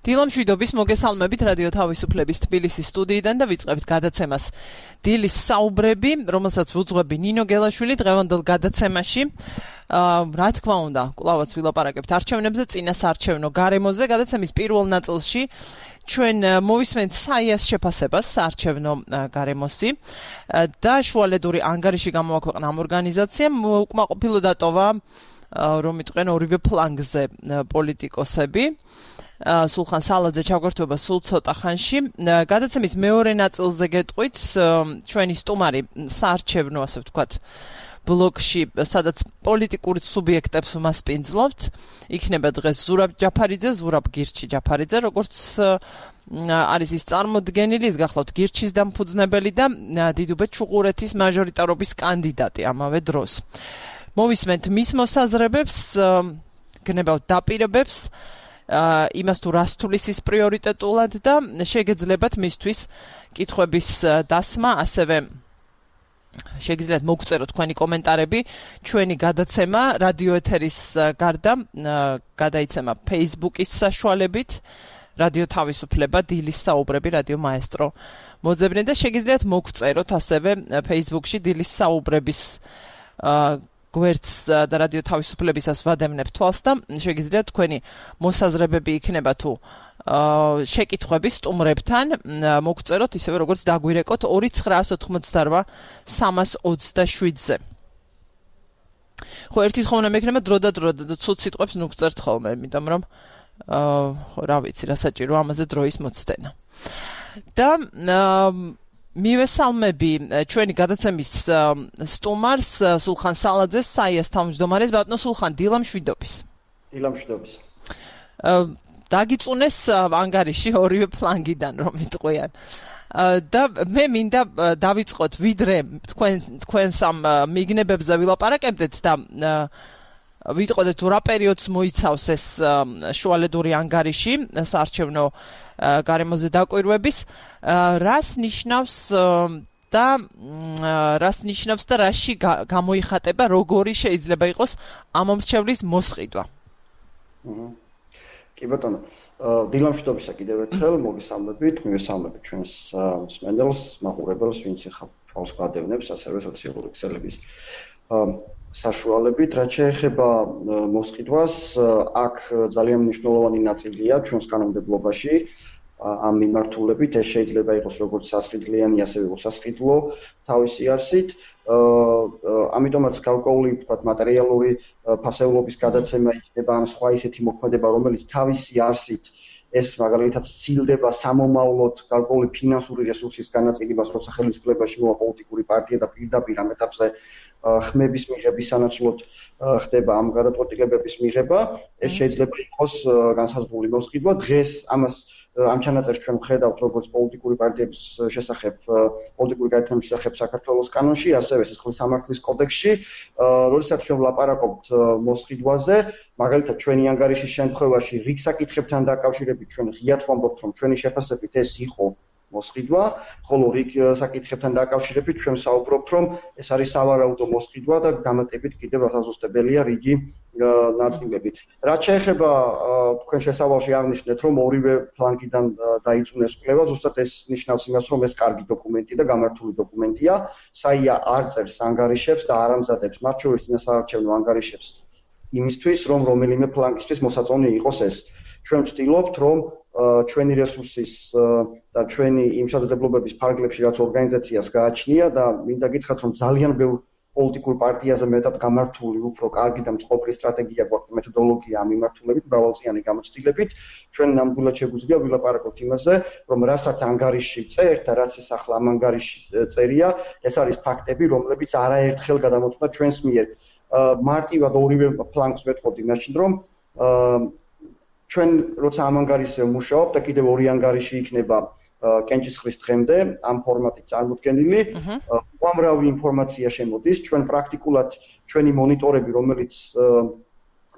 დილამშვიდობის მოგესალმებით რადიო თავისუფლების თბილისის სტუდიიდან და ვიწყებთ გადაცემას დილის საუბრები, რომელსაც ვუძღვები ნინო გელაშვილი დღევანდელ გადაცემაში. Რა თქმა უნდა, კვლავაც ვილაპარაკებთ არჩევნებზე, წინასაარჩევნო გარემოზე. გადაცემის პირველ ნაწილში ჩვენ მოვისმენთ საიას შეფასებას საარჩევნო გარემოსი და შუალედური ანგარიში გამოაქვეყნა ამ ორგანიზაციამ უკმაყოფილო დატოვა რომ იტყვენ ორივე ფლანგზე პოლიტიკოსები. სულხან სალაძე ჩაგვერთვება სულ ცოტა ხანში. გადაცემის მეორე ნაწილზე გეტყვით ჩვენი სტუმარი საარჩევნო, ასე ვთქვათ, ბლოკში, სადაც პოლიტიკურ სუბიექტებს მასპინძლობთ. იქნება დღეს ზურაბ ჯაფარიძე, ზურაბ გირჩი ჯაფარიძე, როგორც არის ის წარმოდგენილი, ის გახლავთ გირჩის დამფუძნებელი და დიდუბეთ ჩუღურეთის მაჟორიტარობის კანდიდატი ამავე დროს. მოვისმენთ მის მოსაზრებებს, გნებავთ დაპირებებს, იმას თუ რას თulis ის პრიორიტეტულად და შეგეძლებათ მისთვის კითხვების დასმა, ასევე შეგიძლიათ მოგწეროთ თქვენი კომენტარები. ჩვენი გადაცემა რადიო ეთერის გარდა გადაიცემა Facebook-ის საშუალებით, რადიო თავისუფლება, დილის საუბრები, რადიო მაესტრო მოძებნე და შეგიძლიათ მოგწეროთ ასევე Facebook-ში დილის საუბრების გვერდს და რადიო თავისუფლებისას ვადევნებ თვალს და შეგიძლიათ თქვენი მოსაზრებები იქნება თუ შეკითხვები სტუმრებთან მოგწეროთ ისევე როგორც დაგვირეკოთ 2988-327-ზე. ხო, ერთი თხოვნა მექნება დრო და ცუც სიტყვებს ნუგწერთ ხოლმე, იმიტომ რომ რა ვიცი, რა საჭირო ამაზე დროის მოცდენა. და მივესალმები ჩვენი გადაცემის სტუმარს სულხან სალაძეს, საიას თავმჯდომარეს. ბატონო სულხან, დილამშვიდობის. დილამშვიდობის. დაგიწუნეს ანგარიში ორივე ფლანგიდან, რომ იტყვიან. და მე მინდა დავიწყოთ, ვიდრე თქვენს ამ მიგნებებზე ვილაპარაკებდეთ და ვიტყოდეთ თუ რა პერიოდს მოიცავს ეს შუალედური ანგარიში საარჩევნო გარემოზე დაკვირვების, რას ნიშნავს და რაში გამოიხატება, როგორი შეიძლება იყოს ამომრჩევლის მოსყიდვა. კი ბატონო, დილამშვიდობისა კიდევ ერთხელ მოგესალმებით, მივესალმებით ჩვენს მსმენელს, მაყურებელს, ვინც ახლა თავს გადავნებს, ასევე სოციალური ქსელების საშუალებით. რაც შეეხება მოსყიდვას, აქ ძალიან მნიშვნელოვანი ნაწილია ჩვენს კანონმდებლობაში ამ მიმართულებით. ეს შეიძლება იყოს როგორც სასყიდლიანი, ასევე უსასყიდლო თავისი არსით. ამიტომაც გარკვეული ვთქვათ მატერიალური ფასეულობის გადაცემა იქნება ან სხვა ისეთი მოქმედება, რომელიც თავისი არსით ეს მაგალითად სცილდება სამომავლოდ გარკვეული ფინანსური რესურსის განაწილებას, როცა ხელისუფლებაში მოვა პოლიტიკური პარტია და პირდაპირ ამ ეტაპზე ხმების მიღების სანაცვლოდ ხდება ამ გადაწყვეტილებების მიღება. ეს შეიძლება იყოს განსაზღვრული მოსყიდვა. დღეს ამას ამ ჩანაწერს ჩვენ ვხედავთ როგორც პოლიტიკური პარტიების შესახებ, პოლიტიკური გაერთიანების შესახებ საქართველოს კანონში, ასევე სისხლის სამართლის კოდექსში. როდესაც ჩვენ ვლაპარაკობთ მოსყიდვაზე, მაგალითად ჩვენი ანგარიშის შემთხვევაში რიგ საკითხებთან დაკავშირებით ჩვენ ღიად ვამბობთ, რომ ჩვენი შეფასებით ეს იყო მოსყიდვა, ხოლო რიგ საკითხებთან დაკავშირებით ჩვენ საუბრობთ, რომ ეს არის სავარაუდო მოსყიდვა და დამატებით კიდევ რასაზუსტებელია რიგი ნაწილები. რაც შეეხება თქვენ შესავალში აღნიშნეთ, რომ ორივე ფლანგიდან დაიწუნეს კვლევა, ზუსტად ეს ნიშნავს იმას, რომ ეს კარგი დოკუმენტი და გამართული დოკუმენტია. საია არ წერს ანგარიშებს და არ ამზადებს მათ შორის წინასაარჩევნო ანგარიშებს იმისთვის, რომ რომელიმე ფლანგისთვის მოსაწონი იყოს ეს. ჩვენ ვცდილობთ, რომ ჩვენი რესურსის და ჩვენი იმ შესაძლებლობების ფარგლებში, რაც ორგანიზაციას გააჩნია და მინდა გითხრათ, რომ ძალიან ბევრ პოლიტიკურ პარტიაზე მეტად გამართული, უფრო კარგი და მწყობრი სტრატეგია გვაქვს, მეთოდოლოგია ამ მიმართულებით, მრავალწლიანი გამოცდილებით. ჩვენ ნამდვილად შეგვიძლია ვილაპარაკოთ იმაზე, რომ რასაც ანგარიში წერთ და რაც ეს ახლა ამ ანგარიში წერია, ეს არის ფაქტები, რომლებიც არაერთხელ გადამოწმდა ჩვენს მიერ. მარტივად ორივე ფლანგს ვეთყობდი მაშინ, რომ ჩვენ როცა ამ ანგარიშზე ვმუშაობთ და კიდევ ორი ანგარიში იქნება კენჭისყრის დღემდე ამ ფორმატით წარმოდგენილი, უამრავი ინფორმაცია შემოდის. ჩვენ პრაქტიკულად ჩვენი მონიტორები, რომელიც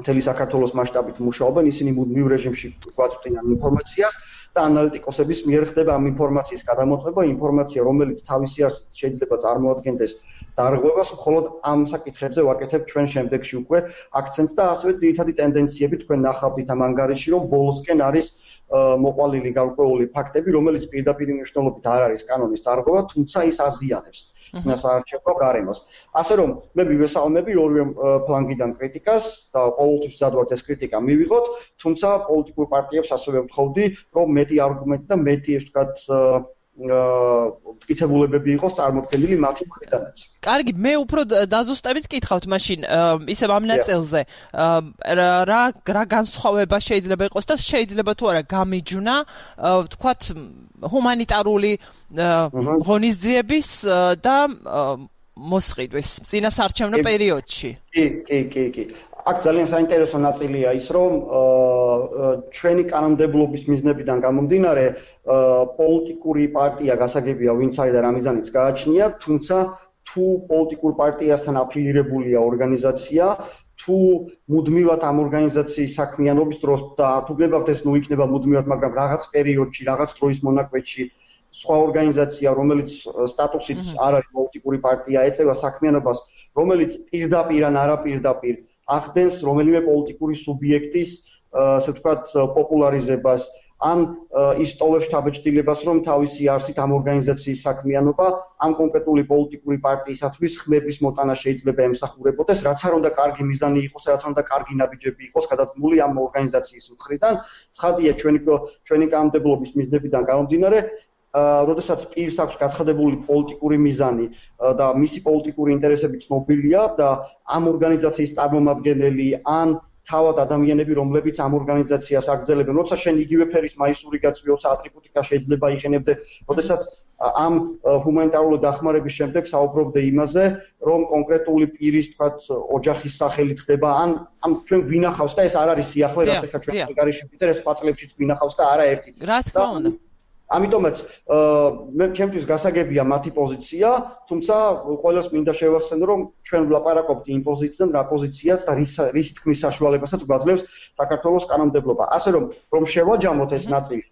მთელი საქართველოს მასშტაბით მუშაობენ, ისინი მუდმივ რეჟიმში გვაწვდიან ამ ინფორმაციას და ანალიტიკოსების მიერ ხდება ამ ინფორმაციის გადამოწმება, ინფორმაცია, რომელიც თავისი არსით შეიძლება წარმოადგენდეს დარღვევას, მხოლოდ ამ საკითხებზე ვაკეთებ ჩვენ შემდეგში უკვე აქცენტს და ასევე ძირითადი ტენდენციები თქვენ ნახავთ ამ ანგარიში, რომ ბოლოსკენ არის მოყვალილი გარკვეული ფაქტები, რომელიც პირდაპირ მნიშვნელობით არ არის კანონის დარღვევა, თუმცა ის აზიანებს წინასაარჩევნო გარემოს. ასე რომ მე მივესალმები ორივე ფლანგიდან კრიტიკას და ყოველთვის ვზადვართ ეს კრიტიკა მივიღოთ, თუმცა პოლიტიკურ პარტიებს ასევე ვთხოვდი, რომ მეტი არგუმენტი და მეტი ეს ვთქვათ მტკიცებულებები იყოს წარმოქმნილი მათი მხრიდანაც. კარგი, მე უფრო დაზუსტებით კითხავთ მაშინ ისევ ამ ნაწილზე. რა განსხვავება შეიძლება იყოს და შეიძლება თუ არა გამიჯვნა, ვთქვათ, ჰუმანიტარული ღონისძიების და მოსყიდვის წინასაარჩევნო პერიოდში. კი. აქ ძალიან საინტერესო ნაწილია ის, რომ ჩვენი კანონმდებლობის მიზნებიდან გამომდინარე, პოლიტიკური პარტია გასაგებია, ვინც არის და რა მიზანიც გააჩნია, თუმცა თუ პოლიტიკურ პარტიასთან აფილირებულია ორგანიზაცია, თუ მუდმივად ამ ორგანიზაციის საქმიანობის დროს და თუ გნებავთ ეს ნუ იქნება მუდმივად, მაგრამ რაღაც პერიოდში, რაღაც დროის მონაკვეთში სხვა ორგანიზაცია, რომელიც სტატუსით არ არის პოლიტიკური პარტია, ეწევა საქმიანობას, რომელიც პირდაპირ ან არაპირდაპირ ახდენს რომელიმე პოლიტიკური სუბიექტის, ასე ვთქვათ, პოპულარიზებას, ან ისტოვებს შთაბეჭდილებას, რომ თავისი არსით ამ ორგანიზაციის საქმიანობა ამ კონკრეტული პოლიტიკური პარტიისათვის ხმების მოტანა შეიძლება ემსახურებოდეს, რაც არ უნდა კარგი მიზანი იყოს, რაც არ უნდა კარგი ნაბიჯები იყოს გადადგმული ამ ორგანიზაციის მხრიდან. ცხადია ჩვენი კანონმდებლობის მიზნებიდან გამომდინარე, როდესაც პირს აქვს გაცხადებული პოლიტიკური მიზანი და მისი პოლიტიკური ინტერესები ცნობილია და ამ ორგანიზაციის წარმომადგენელი ან თავად ადამიანები, რომლებიც ამ ორგანიზაციას აგრძელებენ, როცა შენ იგივე ფერის მაისური გაწვიოს ატრიბუტიკა შეიძლება იყენებდე, როდესაც ამ ჰუმანიტარული დახმარების შემდეგ საუბრობდე იმაზე, რომ კონკრეტული პირის, თქვათ, ოჯახის სახელით ხდება, ან ჩვენ გვინახავს და ეს არ არის სიახლე, რაც ახლა ჩვენ ანგარიში ვიწერ, ეს სხვა წლებშიც გვინახავს და არაერთი. რა თქმა უნდა. ამიტომაც მე ჩემთვის გასაგებია მათი პოზიცია, თუმცა ყველას მინდა შევახსენო, რომ ჩვენ ვლაპარაკობთ იმ პოზიციიდან, რა პოზიციაც და რის თქმის საშუალებასაც გვაძლევს საქართველოს კანონმდებლობა. ასე რომ შევაჯამოთ ეს ნაწილი.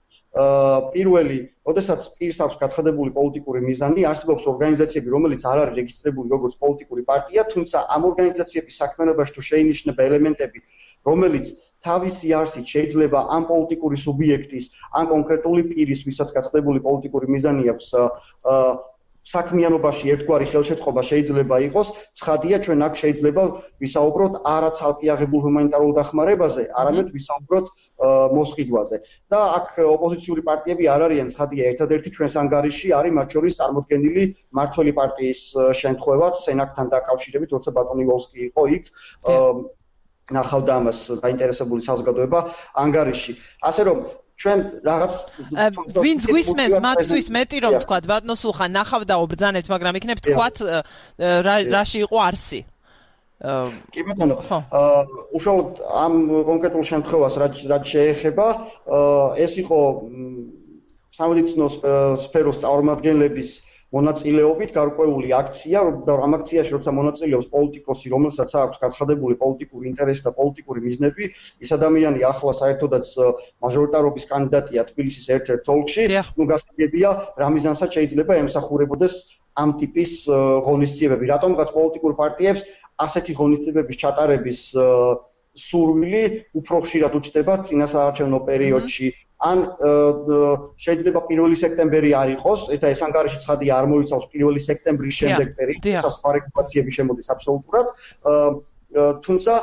პირველი, როდესაც პირს აქვს გაცხადებული პოლიტიკური მიზანი, არსებობს ორგანიზაციები, რომელიც არ არის რეგისტრირებული როგორც პოლიტიკური პარტია, თუმცა ამ ორგანიზაციების საქმიანობაში თუ შეინიშნება ელემენტები, რომელიც თავისი არსით შეიძლება ამ პოლიტიკური სუბიექტის, ან კონკრეტული პირის, ვისაც გაცხადებული პოლიტიკური მიზანი აქვს, საქმიანობაში ერთგვარი ხელშეწყობა შეიძლება იყოს, ცხადია ჩვენ აქ შეიძლება ვისაუბროთ არა ცალკეაღებულ ჰუმანიტარულ დახმარებაზე, არამედ ვისაუბროთ მოსყიდვაზე. და აქ ოპოზიციური პარტიები არ არიან, ცხადია, ერთადერთი ჩვენს ანგარიში არის მათ შორის წარმოდგენილი მმართველი პარტიის შემთხვევაც სენაკთან დაკავშირებით, როცა ბატონი ვოლსკი იყო იქ ნახავდა ამას დაინტერესებული საზოგადოება ანგარიში. ასე რომ ჩვენ რაღაც ვინც გვისმენს მათთვის მეტი რომ თქვა ბატონო სულხან ნახავდაო ბრძანებთ, მაგრამ იქნებ თქვათ რაში იყო არსი. კი ბატონო, უშუალოდ ამ კონკრეტულ შემთხვევას რაც შეეხება, ეს იყო სამედიცინო სფეროს წარმომადგენლების მონაწილეობით გარკვეული აქცია და ამ აქციაში როცა მონაწილეობს პოლიტიკოსი, რომელსაც აქვს გაცხადებული პოლიტიკური ინტერესი და პოლიტიკური მიზნები, ის ადამიანი ახლა საერთოდაც მაჟორიტარობის კანდიდატია თბილისის ერთ-ერთ ოლქში, ნუ გასაგებია რა მიზანსაც შეიძლება ემსახურებოდეს ამ ტიპის ღონისძიებები. რატომღაც პოლიტიკურ პარტიებს ასეთი ღონისძიებების ჩატარების სურვილი უფრო ხშირად უჩნდება წინასაარჩევნო პერიოდში. ან შეიძლება 1 სექტემბერი არ იყოს, ეს ანგარიში ცხადია არ მოიცავს 1 სექტემბრის შემდეგ პერიოდს, სხვა რეგულაციები შემოდის აბსოლუტურად. თუმცა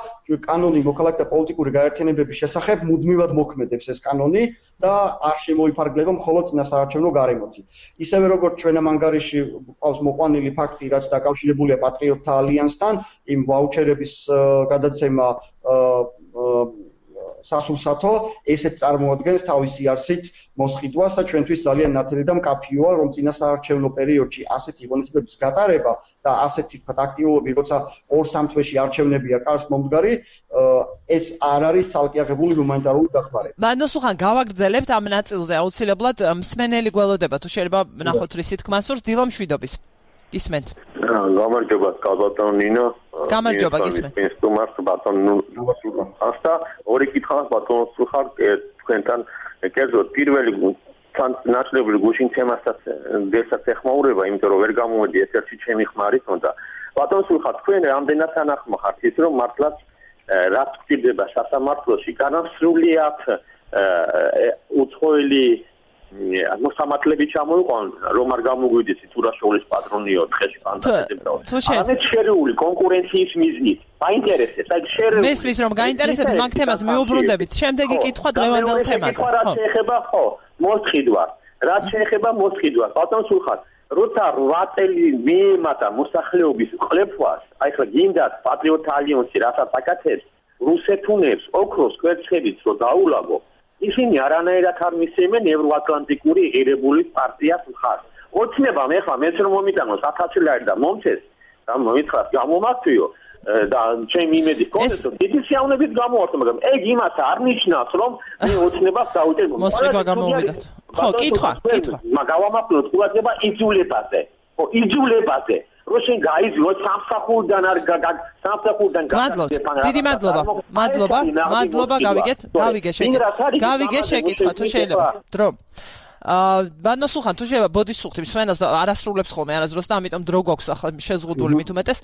კანონი მოქალაქეთა პოლიტიკური გაერთიანებების შესახებ მუდმივად მოქმედებს ეს კანონი და არ შემოიფარგლება მხოლოდ წინასაარჩევნო გარემოთი. ისევე როგორც ჩვენ ამ ანგარიში ყავს მოყვანილი ფაქტი, რაც დაკავშირებულია პატრიოტთა ალიანსთან, იმ ვაუჩერების გადაცემა სასურსათო, ესეც წარმოადგენს თავისი არსით მოსყიდვას და ჩვენთვის ძალიან ნათელი და მკაფიოა, რომ წინასაარჩევნო პერიოდში ასეთი ღონისძიებების გატარება და ასეთი ვთქვათ აქტიულობები, როცა 2-3 თვეში არჩევნებია კარს მომდგარი, ეს არ არის ცალკეაღებული ჰუმანიტარული დახმარება. ბატონო სულხან, გავაგრძელებთ ამ ნაწილზე აუცილებლად მსმენელი გველოდება, თუ შეიძლება ნახოთ რისი თქმა სურს, დილა მშვიდობის. ისმენთ. გამარჯობა, ბატონო ნინო. გამარჯობა, გისმენთ. ინსტრუმენტ ბატონო ასთა ორი კითხვა ბატონო სულხან თქვენთან კერძოდ პირველი ნაცვლებული გუშინ თემასაც დესაც ეხმაურება, იმიტომ რომ ვერ გამომედი ერთ-ერთი ჩემი ხმარით უნდა. ბატონო სულხან, თქვენ რამდენად თანახმახართ ის რომ მართლაც რაც გვჭირდება სასამართლოში, განსრულიად უცხოელი მოსამართლეები ჩამოიყვანონ, რომ არ გამოგვიდეს თურაშოლის პატრონიო დღეში ფანტაზიებდაო. ამეთ შერეული კონკურენციის მიზნით. გაინტერესებს, აი შერეული. მესმის რომ გაინტერესებს, მაგ თემას მიუბრუნდებით. შემდეგი კითხვა დღევანდელ თემაზე. ხო, რაც შეეხება ხო, მოსყიდვას. რაც შეეხება მოსყიდვას, ბატონ სულხან, როცა 8 წელი მიემატა მოსახლეობის ყლეფვას, აი ხა გინდათ პატრიოტთა ალიანსი რასაც აკეთებს, რუსეთუნებს, ოქროს კვერცხებით რო დაულაგო ისინი არანაირად არ მისცემენ ევროატლანტიკური ღირებულის პარტიას მხარს. ოცნებამ ეხლა მეც რომ მომიტანოს 1000 ლარი და მომცეს, და მომითხრათ გამომართვიო და ჩემი იმედი გქონდეს, რომ დიდი სიამოვნებით გამოვართო, მაგრამ ეგ იმას არ ნიშნავს, რომ მე ოცნებას დავუჭერ. მოსწრება გამოვიდათ. ხო, კითხვა. მაგავამართლოთ ყურადღება იძულებაზე. ხო, იძულებაზე. რო შენ გაიძულო სამსახურიდან არ სამსახურიდან დიდი მადლობა გავიგე შეკითხვა თუ შეიძლება დრო ბანო სულხან თუ შეიძლება ბოდის სულხნის სვენას არასრულებს ხოლმე არასდროს და ამიტომ დრო გვაქვს ახლა შეზღუდული მით უმეტეს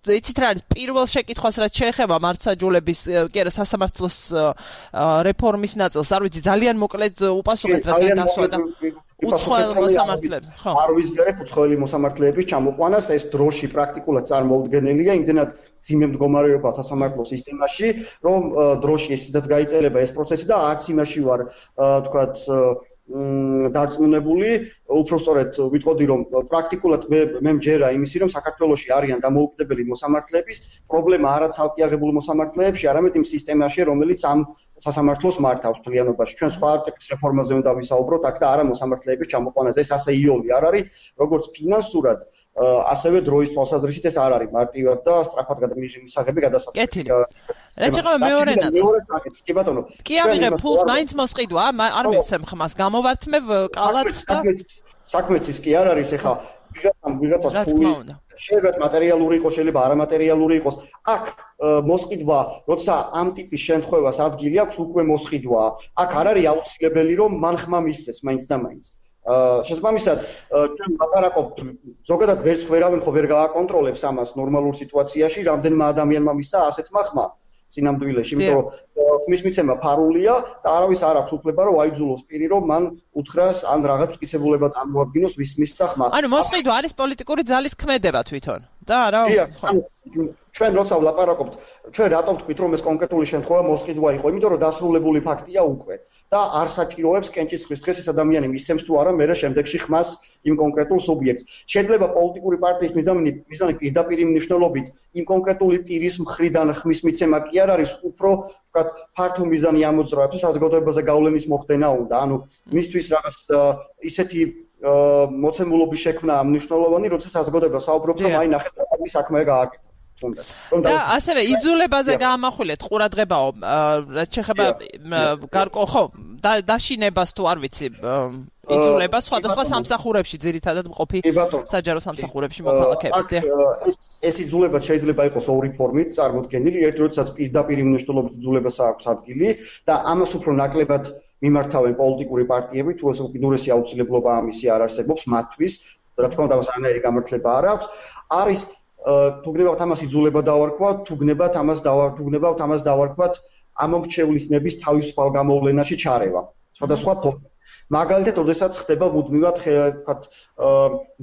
იცით რა არის პირველ შეკითხვას რაც შეეხება მართლმსაჯულების კი არა სასამართლოს რეფორმის ნაწილს არ ვიცი ძალიან მოკლედ უპასუხეთ რადგან დასვა და უცხოელ მოსამართლეებს ხო არ ვიზიარებ უცხოელი მოსამართლეების ჩამოყვანას ეს დროში პრაქტიკულად წარმოუდგენელია იმდენად ძიმე მდგომარეობა სასამართლო სისტემაში რომ დროში ესეც გაიწელება ეს პროცესი და არც იმაში ვარ თქვათ დარწმუნებული უпростоრეთ ვიტყოდი რომ პრაქტიკულად მე მჯერა იმისი რომ საქართველოში არიან დამოუკიდებელი მოსამართლეების პრობლემა არა ცალკე აღებული მოსამართლეებში არამედ იმ სისტემაში რომელიც ამ სასამართლოს მართავს თლიანობაში ჩვენ სხვა არტიკლის რეფორმაზე უნდა ვისაუბროთ აქ და არა მოსამართლეების ჩამოყვანაზე ეს ასე იოლი არ არის როგორც ფინანსურად ასევე დროის თვალსაზრისით ეს არ არის მარტივად და სწრაფად მისაღები გადასაწყვეტი კეთილი რაც შეეხება მეორე ნაწილს კი ბატონო კი ავიღე ფულს მაინც მოსყიდვა არ მივცემ ხმას გამოვართმევ კალათს და საქმეც ის კი არ არის ეხა ვიღაცას ფული შეიძლება მატერიალური იყოს შეიძლება არამატერიალური იყოს აქ მოსყიდვა როცა ამ ტიპის შემთხვევას ადგილი აქვს უკვე მოსყიდვა აქ არ არის აუცილებელი რომ მან ხმა მისცეს მაინც და მაინც შესაბამისად ჩვენ ლაპარაკობთ ზოგადად ვერც ვერავინ ხო ვერ გააკონტროლებს ამას ნორმალურ სიტუაციაში რამდენმა ადამიანმა მისცა ასეთმა ხმა სინამდვილეში იმიტომ რომ ხმის მიცემა ფარულია და არავის არ აქვს უფლება რომ აიძულოს პირი რომ მან უთხრას ან რაღაც მტკიცებულება წარმოადგინოს ვის მისცა ხმა ანუ მოსყიდვა არის პოლიტიკური ძალის ქმედება თვითონ და არა ჩვენ როცა ვლაპარაკობთ ჩვენ რატომ ვთქვით რომ ეს კონკრეტული შემთხვევა მოსყიდვა იყო იმიტომ რომ დასრულებული ფაქტია უკვე და არ საჭიროებს კენჭისყრის დღეს ეს ადამიანი მისცემს თუ არა მერე შემდეგში ხმას იმ კონკრეტულ სუბიექტს. შეიძლება პოლიტიკური პარტიის მიზანი პირდაპირ მნიშვნელობით იმ კონკრეტული პირის მხრიდან ხმის მიცემა კი არ არის, უფრო ვთქვათ, ფართო მიზანი ამოძრავებს, საზოგადოებაზე გავლენის მოხდენა უნდა. ანუ მისთვის რაღაც ისეთი მოცემულობის შექმნა მნიშვნელოვანი, როცა საზოგადოება საუბრობს, რომ აი ნახეთ, ის საქმე გააკეთა. და ასევე იძულებაზე გაამახვილეთ ყურადღებაო რაც შეეხება გარკვეულ ხო დაშინებას თუ არ ვიცი იძულება სხვადასხვა სამსახურებში ძირითადად მყოფი საჯარო სამსახურებში მოქალაქეებს ეს იძულება შეიძლება იყოს ორი ფორმით წარმოდგენილი ერთ როდესაც პირდაპირ მნიშვნელობით იძულებას აქვს ადგილი და ამას უფრო ნაკლებად მიმართავენ პოლიტიკური პარტიები თუ ეს უკიდურესი აუცილებლობა ამისი არ არსებობს მათთვის რა თქმა უნდა ამას არანაირი გამართლება არ აქვს არის თუ გნებავთ ამას იძულება დავარქვათ, თუ გნებავთ ამას დავარქვათ ამომრჩევლის ნების თავისუფალ გამოვლენაში ჩარევა. სხვადასხვა ფორმით. მაგალითად, როდესაც ხდება მუდმივად ვთქვათ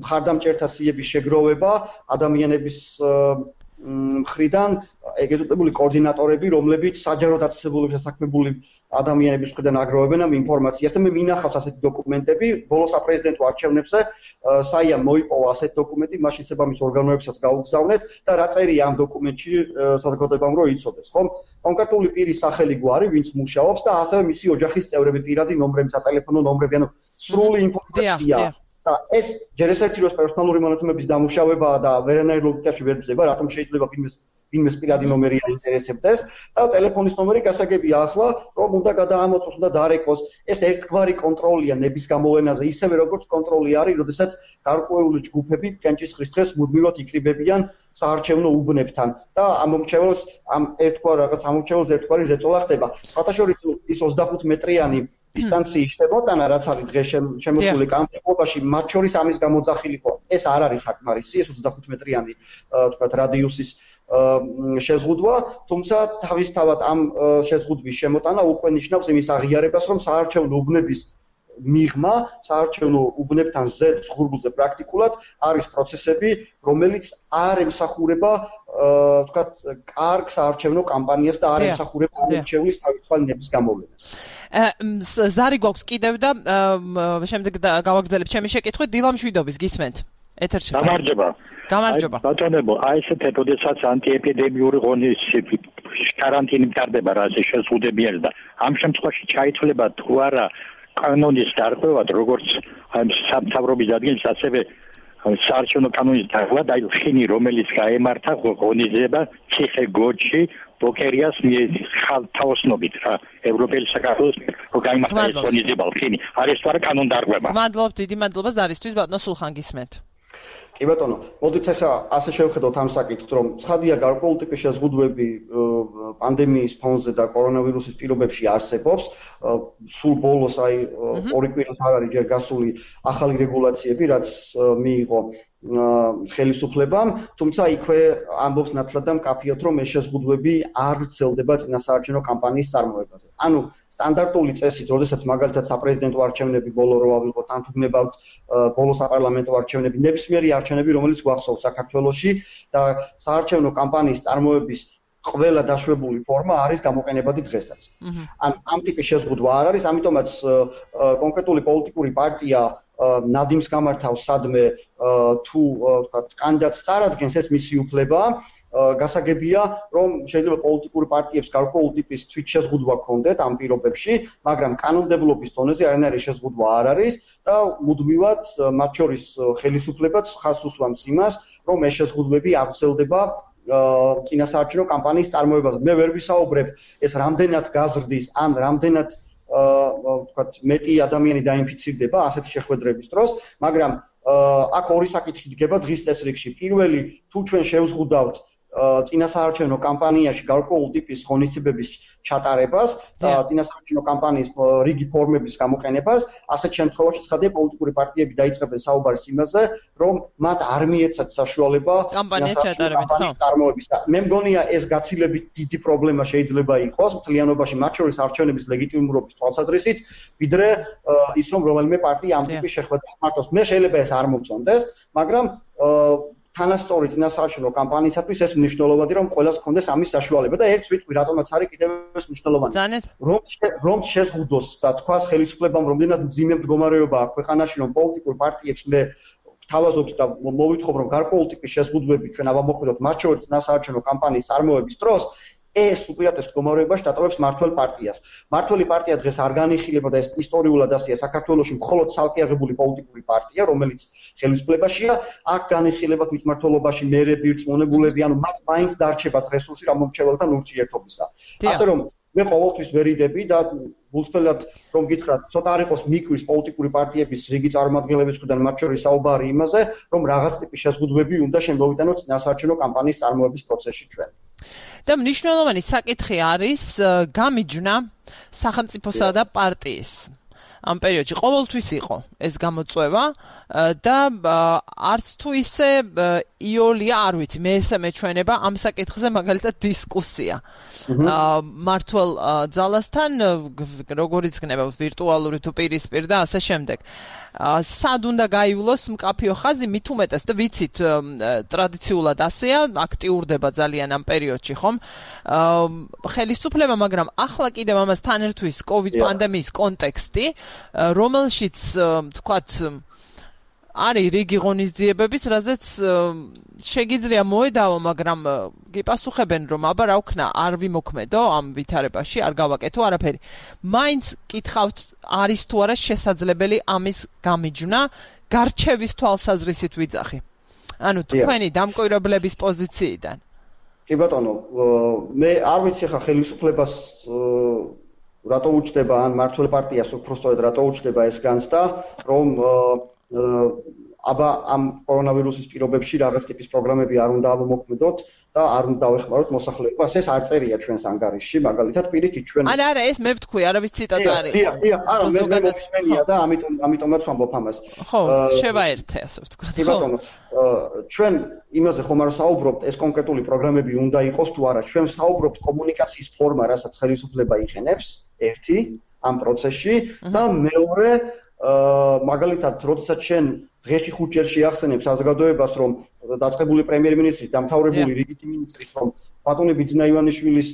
მხარდამჭერთა სიების შეგროვება ადამიანების მხრიდან ეგეთებული კოორდინატორები, რომლებიც საჯარო დაწესებულების დასაქმებული ადამიანების მხრიდან აგროვებენ ამ ინფორმაციას და მე მინახავს ასეთი დოკუმენტები, ბოლოს საპრეზიდენტო არჩევნებზე საიამ მოიპოვა ასეთი დოკუმენტი, მაშინ საბამის ორგანოებსაც გაუგზავნეთ და რა წერია ამ დოკუმენტში საზოგადოებამ რომ იცოდეს, ხომ? კონკრეტული პირის სახელი გვარი, ვინც მუშაობს და ასევე მისი ოჯახის წევრები, პირადი ნომრები, სატელეფონო ნომრები, ანუ სრული ინფორმაცია. და ეს ჯერ ესეთი როს პერსონალური მონაცემების დამუშავებაა და ვერანაირ ლოგიკაში ვერ ძება, რატომ შეიძლება ვინმეს პირადი ნომერი აინტერესებდეს და ტელეფონის ნომერი გასაგებია ახლა, რომ უნდა გადაამოწმოს და დარეკოს. ეს ერთგვარი კონტროლია ნების გამოვლენაზე, ისევე როგორც კონტროლი არის, როდესაც გარკვეული ჯგუფები კენჭისყრის დღეს მუდმივად იკრიბებიან საარჩევნო უბნებთან და ამომრჩეველს ერთგვარი ზეწოლა ხდება. სხვათაშორის ის 25 მეტრიანი დისტანციის შემოტანა რაც არის დღეს შემოსული კამპანიაში მათ შორის ამის გამოძახილიყო ეს არ არის საკმარისი ეს 25 მეტრიანი თქვათ რადიუსის შეზღუდვა, თუმცა თავისთავად ამ შეზღუდვის შემოტანა უკვე ნიშნავს იმის აღიარებას, რომ საარჩევნო უბნების მიღმა, საარჩევნო უბნებთან ზედ ზღურბლზე პრაქტიკულად არის პროცესები, რომელიც არ ემსახურება, ვთქვათ, კარგ საარჩევნო კამპანიას და არ ემსახურება არჩევნის თავისუფალი ნების გამოვლენას. ზარი გვაქვს კიდევ და შემდეგ გავაგრძელებ ჩემი შეკითხვით დილამშვიდობის გისმენთ. ეთერში. გამარჯობა. ბატონებო, აი ესეთ ოდესაც ანტიეპიდემიური ღონისძიებები каранტინი მტარდება რა ასე შეზღუდებიან და ამ შემთხვევაში ჩაითვლება თუ არა კანონის დარღვევა, როგორც სამთავრობის ადგილს ასევე საარჩევნო კანონის დარღვევა და ხინი რომელიც გაემართა ღონისძიება ციხე-გორჯში ბოკერიას ხალხთაოსნობით რა ევროპელი საქართველოს გაიმართა ეს ღონისძიება ხინი არის თუ არა კანონ დარღვევა. მადლობთ, დიდი მადლობა ზარისთვის ბატონო სულხან გისმენთ. კი ბატონო, მოდით ახლა ასე შევხედოთ ამ საკითხს, რომ ცხადია გარკვეული ტიპის შეზღუდვები პანდემიის ფონზე და კორონავირუსის პირობებში არსებობს. სულ ბოლოს აი ორი კვირას არ არის ჯერ გასული ახალი რეგულაციები, რაც მიიღო ხელისუფლებამ, თუმცა იქვე ამბობს ნათლად და მკაფიოდ, რომ ეს შეზღუდვები არ ვრცელდება წინასაარჩევნო კამპანიის წარმოებაზე. ანუ სტანდარტული წესით, როდესაც მაგალითად საპრეზიდენტო არჩევნები ბოლო რო ავიღოთ, ან თუ გნებავთ ბოლო საპარლამენტო არჩევნები, ნებისმიერი არჩევნები, რომელიც გვახსოვს საქართველოში და საარჩევნო კამპანიის წარმოების ყველა დაშვებული ფორმა არის გამოყენებადი დღესაც. ამ ტიპის შეზღუდვა არ არის, ამიტომაც კონკრეტული პოლიტიკური პარტია ნადიმს გამართავს სადმე თუ ვთქვათ კანდიდატს წარადგენს ეს მისი უფლებაა. გასაგებია, რომ შეიძლება პოლიტიკური პარტიებს გარკვეული ტიპის თვითშეზღუდვა ჰქონდეთ ამ პირობებში, მაგრამ კანონმდებლობის დონეზე არანაირი შეზღუდვა არ არის და მუდმივად მათ შორის ხელისუფლებაც ხაზს უსვამს იმას, რომ ეს შეზღუდვები აღწევდება წინასაარჩევნო კამპანიის წარმოებაზე. მე ვერ ვისაუბრებ ეს რამდენად გაზრდის, ან რამდენად ვთქვათ მეტი ადამიანი დაინფიცირდება ასეთი შეხვედრების დროს, მაგრამ აქ ორი საკითხი დგება დღის წესრიგში. პირველი, თუ ჩვენ შევზღუდავთ წინასაარჩევნო კამპანიაში გარკვეული ტიპის ღონისძიებების ჩატარებას და წინასაარჩევნო კამპანიის რიგი ფორმების გამოყენებას, ასეთ შემთხვევაში ცხადია პოლიტიკური პარტიები დაიწყებენ საუბარს იმაზე, რომ მათ არ მიეცათ საშუალება კამპანიის ჩატარებით, წარმოების და მე მგონია ეს გაცილებით დიდი პრობლემა შეიძლება იყოს მთლიანობაში, მათ შორის არჩევნების ლეგიტიმურობის თვალსაზრისით, ვიდრე ის რომ რომელიმე პარტია ამ ტიპის შეხვედრას მართავს. მე შეიძლება ეს არ მომწონდეს, მაგრამ თანასწორი წინასაარჩევნო კამპანიისათვის ეს მნიშვნელოვანია, რომ ყველას ჰქონდეს ამის საშუალება და ერთს ვიტყვი, რატომაც არის კიდევ ეს მნიშვნელოვანი. რომ შეზღუდოს და თქვას ხელისუფლებამ რამდენად მძიმე მდგომარეობა აქვს ქვეყანაში, რომ პოლიტიკურ პარტიებს მე ვთავაზობთ და მოვითხოვ, რომ გარკვეული ტიპის შეზღუდვები ჩვენ ავამოქმედოთ მათ შორის წინასაარჩევნო კამპანიის წარმოების დროს, ეს უპირატეს მდგომარეობაში დატოვებს მართველ პარტიას. მართველი პარტია დღეს არ განიხილება და ეს ისტორიულად ასეა საქართველოში მხოლოდ ცალკე აღებული პოლიტიკური პარტია, რომელიც ხელისუფლებაშია, აქ განიხილება თვითმმართველობაში მერები, რწმუნებულები, ანუ მათ მაინც დარჩებათ რესურსი რამომრჩეველთან ურთიერთობისა. ასე რომ მე ყოველთვის ვერიდები და გულწრფელად რომ გითხრათ, ცოტა არ იყოს მიკვის პოლიტიკური პარტიების რიგი წარმომადგენლების მხრიდან მათ შორის საუბარი იმაზე, რომ რაღაც ტიპის შეზღუდვები უნდა შემოვიტანოთ წინასაარჩევნო კამპანიის წარმოების პროცესში ჩვენ. და მნიშვნელოვანი საკითხი არის გამიჯვნა სახელმწიფოსა და პარტიის. ამ პერიოდში ყოველთვის იყო ეს გამოწვევა და არც თუ ისე იოლია არ ვიცი, მე ესე მეჩვენება ამ საკითხზე მაგალითად დისკუსია. მართლ ძალასთან როგორიც გნება ვირტუალური თუ პირისპირ და ასე შემდეგ. სად უნდა გაივლოს მკაფიო ხაზი, მით უმეტეს და ვიცით ტრადიციულად ასეა, აქტიურდება ძალიან ამ პერიოდში, ხომ? ხელისუფლება, მაგრამ ახლა კიდევ ამასთან ერთვის COVID პანდემიის კონტექსტი, რომელშიც თქვათ არის რიგი ღონისძიებების, რაზეც შეგიძლია მოედავო, მაგრამ გიპასუხებენ, რომ აბა რა ვქნა, არ ვიმოქმედო ამ ვითარებაში, არ გავაკეთო არაფერი. მაინც კითხავთ, არის თუ არა შესაძლებელი ამის გამიჯვნა, გარჩევის თვალსაზრისით ვიძახი. ანუ თქვენი დამკვირვებლების პოზიციიდან. კი ბატონო, მე არ ვიცი ხა ხელისუფლებას რატო უჩდება ან მართლ პარტიას უფრო სწორედ რატო უჩდება ეს განცდა, რომ აბა ამ კორონავირუსის პირობებში რაღაც ტიპის პროგრამები არ უნდა ამოქმედოთ და არ უნდა დავეხმაროთ მოსახლეობას. ეს არ წერია ჩვენს ანგარიშში, მაგალითად პირიქით ჩვენ არა, ეს მე ვთქვი, არავის ციტატა არის. დიახ, არა, მე მომხსენია და ამიტომაც ვამბობ ამას. ხო, შევაერთე, ასე ვთქვა. კი ბატონო, ჩვენ იმაზე ხომ არ საუბრობთ, ეს კონკრეტული პროგრამები უნდა იყოს თუ არა. ჩვენ საუბრობთ კომუნიკაციის ფორმა, რასაც ხელისუფლება იყენებს, ერთი ამ პროცესში და მეორე მაგალითად, როდესაც შენ დღეში 5 ჯერ შეახსენებ საზოგადოებას, რომ დაწყებული პრემიერ-მინისტრით, დამთავრებული რიგითი მინისტრით, რომ ბატონი ბიძინა ივანიშვილის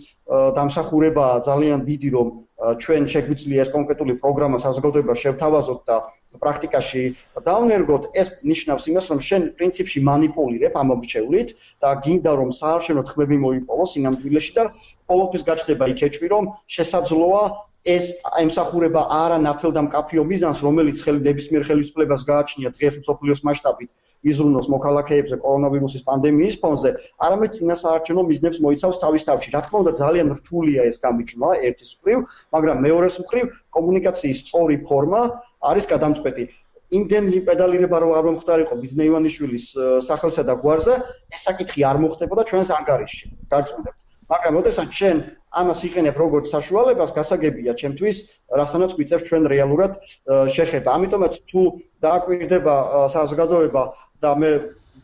დამსახურება ძალიან დიდი, რომ ჩვენ შეგვიძლია ეს კონკრეტული პროგრამა საზოგადოებას შევთავაზოთ და პრაქტიკაში დავნერგოთ, ეს ნიშნავს იმას, რომ შენ პრინციპში манипуლირებ ამ მომრჩევლით და გინდა რომ საარჩევნო თქმები მოიპოვოს სინამდვილეში და ყოველთვის გაჩნდება იქეჭვი, რომ შესაძლოა ეს ემსახურება არა ნათელ და მკაფიო მიზანს, რომელიც ნებისმიერ ხელისუფლებას გააჩნია დღეს მსოფლიოს მასშტაბით იზრუნოს მოქალაქეებზე კორონავირუსის პანდემიის ფონზე, არამედ წინასაარჩევნო მიზნებს მოიცავს თავის თავში. რა თქმა უნდა, ძალიან რთულია ეს გამიჯვნა ერთის მხრივ, მაგრამ მეორეს მხრივ კომუნიკაციის სწორი ფორმა არის გადამწყვეტი. იმდენი პედალირება რო არ მომხდარიყო ბიძინა ივანიშვილის სახელსა და გვარზე, ეს საკითხი არ მოხდებოდა ჩვენს ანგარიშში. გარწმუნებთ. მაგრამ როდესაც შენ ამას იყენებ როგორც საშუალებას, გასაგებია ჩემთვის, რასანაც გვიწევს ჩვენ რეალურად შეხება. ამიტომაც თუ დააკვირდება საზოგადოება და მე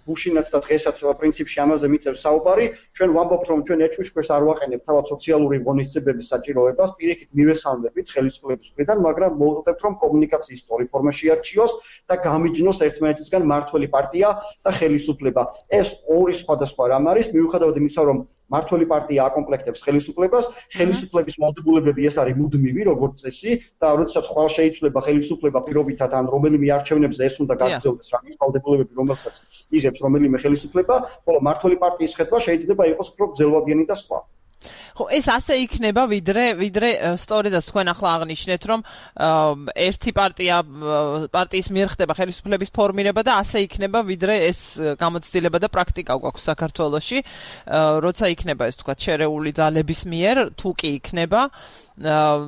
გუშინაც და დღესაც პრინციპში ამაზე მიწევს საუბარი, ჩვენ ვამბობთ, რომ ჩვენ ეჭვიშქვერს არ ვაყენებთ თავად სოციალური ღონისძიებების საჭიროებას, პირიქით მივესალმებით ხელისუფლების მხრიდან, მაგრამ მოვუწევთ, რომ კომუნიკაციის სწორი ფორმა შეარჩიოს და გამიჯნოს ერთმანეთისგან მართველი პარტია და ხელისუფლება. ეს ორი სხვადასხვა რამ არის, მიუხედავად იმისა, რომ მართველი პარტია აკომპლექტებს ხელისუფლებას, ხელისუფლების ვალდებულებები ეს არის მუდმივი, როგორც წესი, და როდესაც ხვალ შეიცვლება ხელისუფლება პირობითად ან რომელიმე არჩევნებზე ეს უნდა გაგრძელდეს რაღაც ვალდებულებები, რომელსაც იღებს რომელიმე ხელისუფლება, ხოლო მართველი პარტიის ხედვა შეიძლება იყოს უფრო გრძელვადიანი და სხვა. ხო, ეს ასე იქნება, ვიდრე სწორედაც თქვენ ახლა აღნიშნეთ, რომ ერთი პარტიის მიერ ხდება ხელისუფლების ფორმირება და ასე იქნება, ვიდრე ეს გამოცდილება და პრაქტიკა გვაქვს საქართველოში, როცა იქნება ეს თქვა შერეული ძალების მიერ, თუ კი იქნება,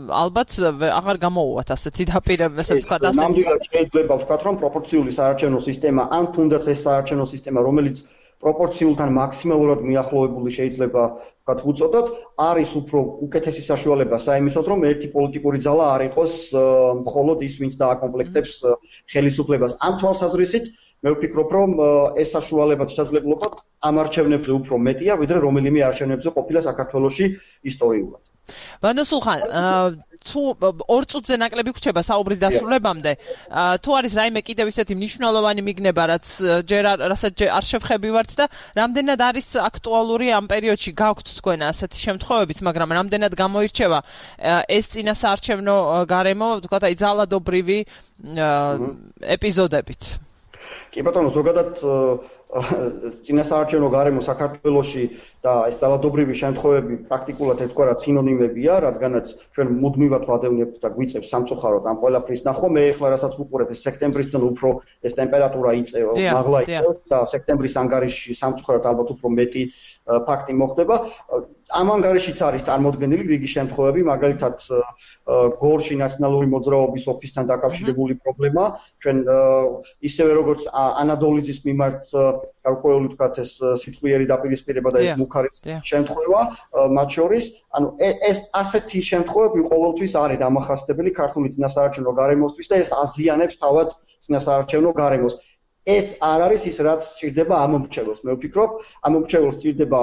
ალბათ აღარ გამოუვათ ასეთი დაპირება, ასე ვთქვა, ასეთი. ნამდვილად შეიძლება ვთქვათ, რომ პროპორციული საარჩევნო სისტემა, ან თუნდაც ეს საარჩევნო სისტემა, რომელიც პროპორციულთან მაქსიმალურად მიახლოვებული შეიძლება ვთქვათ უწოდოთ, არის უფრო უკეთესი საშუალება საიმისოდ, რომ ერთი პოლიტიკური ძალა არ იყოს მხოლოდ ის, ვინც დააკომპლექტებს ხელისუფლებას. ამ თვალსაზრისით მე ვფიქრობ, რომ ეს საშუალება შესაძლებლობა ამ არჩევნებზე უფრო მეტია, ვიდრე რომელიმე არჩევნებზე ყოფილა საქართველოში ისტორიულად. ბანდო სულხან, თუ 2 წუთზე ნაკლები გვრჩება საუბრის დასრულებამდე, თუ არის რაიმე კიდევ ისეთი მნიშვნელოვანი მიგნება, რასაც არ შევხებივართ და რამდენად არის აქტუალური ამ პერიოდში გაქვთ თქვენ ასეთი შემთხვევებიც, მაგრამ რამდენად გამოირჩევა ეს წინასაარჩევნო გარემო, ვთქვათ, აი ძალადობრივი ეპიზოდებით. კი ბატონო, ზოგადად წინასაარჩევნო გარემო საქართველოში და ეს ძალადობრივი შემთხვევები პრაქტიკულად ერთგვარად სინონიმებია, რადგანაც ჩვენ მუდმივად ვადევნებთ და გვიწევს სამწუხაროდ ამ ყველაფრის ნახვა. მე ახლა რასაც ვუყურებ, ეს სექტემბრისთან უფრო ეს ტემპერატურა მაღლა იწევს და სექტემბრის ანგარიშში სამწუხაროდ ალბათ უფრო მეტი ფაქტი მოხდება. ამ ანგარიშიც არის წარმოდგენილი რიგი შემთხვევები, მაგალითად გორში ნაციონალური მოძრაობის ოფისთან დაკავშირებული პრობლემა, ჩვენ ისევე როგორც ანადოლიძის მიმართ გარკვეული ვთქვათ ეს სიტყვიერი დაპირისპირება და ეს მუქარის შემთხვევა მათ შორის, ანუ ეს ასეთი შემთხვევები ყოველთვის არის დამახასიათებელი ქართული წინასაარჩევნო გარემოსთვის და ეს აზიანებს თავად წინასაარჩევნო გარემოს. ეს არ არის ის, რაც სჭირდება ამ მომრჩეველს. მე ვფიქრობ, ამ მომრჩეველს სჭირდება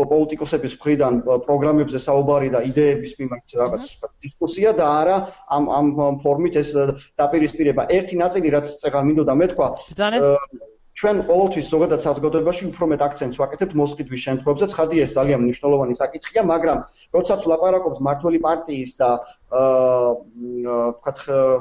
პოლიტიკოსების მხრიდან პროგრამებზე საუბარი და იდეების მიმართ რაღაც დისკუსია და არა ამ ფორმით ეს დაპირისპირება. ერთი ნაწილი, რაც წეგან მინდოდა მეთქვა, ჩვენ ყოველთვის ზოგადად საზოგადოებაში უფრო მეტ აქცენტს ვაკეთებთ მოსყიდვის შემთხვევებზე. ცხადია, ეს ძალიან მნიშვნელოვანი საკითხია, მაგრამ როდესაც ვლაპარაკობთ მართველი პარტიის და ვთქვათ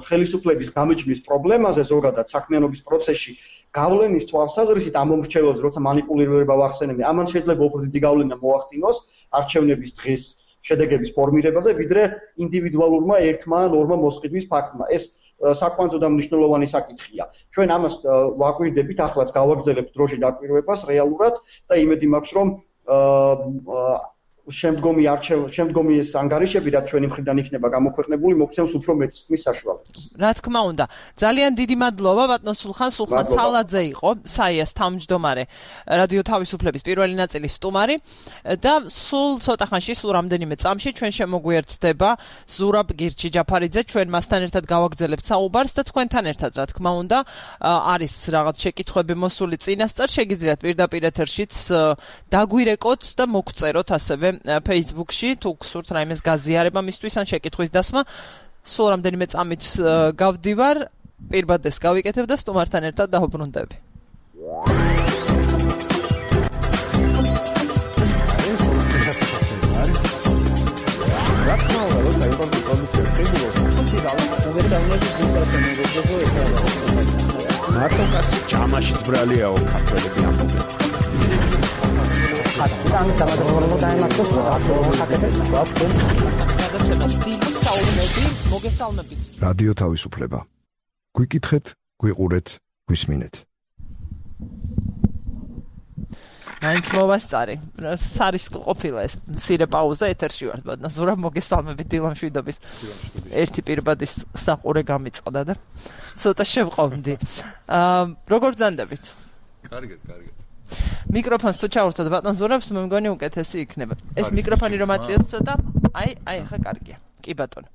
ხელისუფლების გამიჯვნის პრობლემაზე ზოგადად საქმიანობის პროცესში გავლენის თვალსაზრისით ამ მომრჩეველს, როცა манипуლირება ვახსენებთ, ამან შეიძლება უფრო დიდი გავლენა მოახდინოს არჩევნების დღის შედეგების ფორმირებაზე, ვიდრე ინდივიდუალურმა ერთმა ან ორმა მოსყიდვის ფაქტმა. ეს საკვანძო და მნიშვნელოვანი საკითხია. ჩვენ ამას ვაკვირდებით, ახლაც გავაგრძელებთ დროში დაკვირვებას რეალურად და იმედი მაქვს, რომ შემდგომი ეს ანგარიშები, რაც ჩვენი მხრიდან იქნება გამოქვეყნებული, მოგცემს უფრო მეტ წყმის საშუალებას. რა თქმა უნდა. ძალიან დიდი მადლობა ბატონ სულხან სალაძე იყო, საიას თავმჯდომარე, რადიო თავისუფლების პირველი ნაწილის სტუმარი და სულ ცოტა ხანში, სულ რამდენიმე წამში ჩვენ შემოგვიერთდება ზურაბ გირჩი-ჯაფარიძე, ჩვენ მასთან ერთად გავაგრძელებთ საუბარს და თქვენთან ერთად, რა თქმა უნდა, არის რაღაც შეკითხვები მოსული წინასწარ, შეგიძლიათ პირდაპირ ეთერშიც დაგვირეკოთ და მოგწეროთ ასევე Facebook-ში, თუ გსურთ რაიმეს გაზიარება მისთვის ან შეკითხვის დასმა, სულ რამდენიმე წამით გავდივარ, პირბადეს გავიკეთებ და სტუმართან ერთად დავუბრუნდები. მარტო კაცი ჯამაშიც ბრალიაო ქართველები ამბობენ. რადიო თავისუფლება. გვიკითხეთ, გვიყურეთ, გვისმინეთ. მაინც მოვასწარი. სარის ყოფილა ეს მცირე პაუზა ეთერში ვართ, ბატონო ზურაბ, მოგესალმებით დილამშვიდობის. ერთი პირბადის საყურე გამიწყდა და ცოტა შევყავდი. როგორ ბრძანდებით? კარგად. მიკროფონს თუ ჩავურთოთ ბატონ ზურაბს, მე მგონი უკეთესი იქნება. ეს მიკროფონი რომ აწიოთ ცოტა, აი, ხა კარგია. კი ბატონო.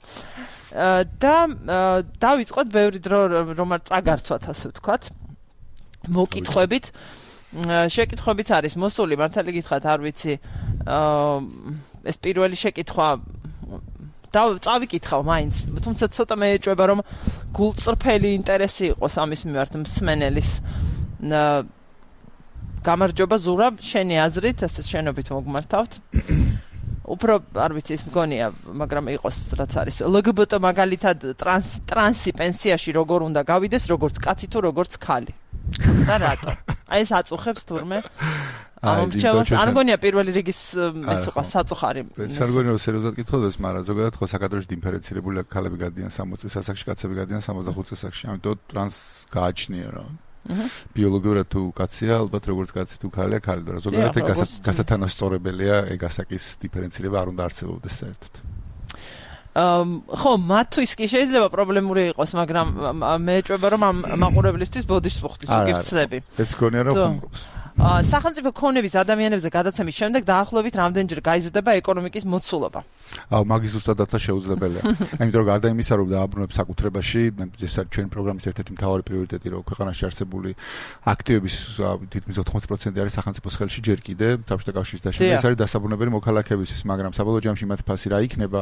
და დავიწყოთ ბევრი დრო რომ არ წაგარცვათ, ასე ვთქვათ. მოკითხვებით. შეკითხვებიც არის მოსული, მართალი გითხრათ, არ ვიცი. ეს პირველი შეკითხვა წავიკითხავ მაინც, თუმცა ცოტა მე ეჭვება რომ გულწრფელი ინტერესი იყოს ამის მიმართ მსმენელის. გამარჯობა ზურაბ, შენი აზრით, ასე შენობით მოგმართავთ. უფრო არ ვიცი ის მგონია, მაგრამ იყოს რაც არის. LGBT მაგალითად ტრანსი პენსიაში როგორ უნდა გავიდეს, როგორც კაცი თუ როგორც ქალი. და რატო? აი ეს აწუხებს თურმე. ამომრჩევას არ მგონია პირველი რიგის ეს იყო საწუხარი. ეს არ მგონია სერიოზულად კითხულობს, მაგრამ ზოგადად ხო საკადროში დიფერენცირებული ქალები გადიან 60 წლის ასაკში, კაცები გადიან 65 წლის ასაკში. ამიტომ ტრანს გააჩნია რა. ბიოლოგიურად თუ კაცია, ალბათ როგორც კაცი თუ ქალია, ქალი და ზოგადად გასათანასწორებელია ეგ ასაკის დიფერენცირება არ უნდა არსებობდეს საერთოდ. ხო, მათთვის კი შეიძლება პრობლემური იყოს, მაგრამ მე ეჭვება რომ ამ მაყურებლისთვის ბოდიშს ვუხდის უგიფცლები. ეს გონია რომ ხუმრობს. სახელმწიფო ქონების ადამიანებზე გადაცემის შემდეგ დაახლოებით რამდენჯერ გაიზრდება ეკონომიკის მოცულობა? მაგის ზუსტად შეუძლებელია. იმიტომ რომ გარდა იმისა, რომ დააბრუნებს საკუთრებაში, ეს არის ჩვენი პროგრამის ერთ-ერთი მთავარი პრიორიტეტი, რომ ქვეყანაში არსებული აქტივების თითქმის 80% არის სახელმწიფოს ხელში ჯერ კიდე, საბჭოთა კავშირის დაშენება, ეს არის დასაბრუნებელი მოქალაქეებისთვის, მაგრამ საბოლოო ჯამში მათ ფასი რა იქნება,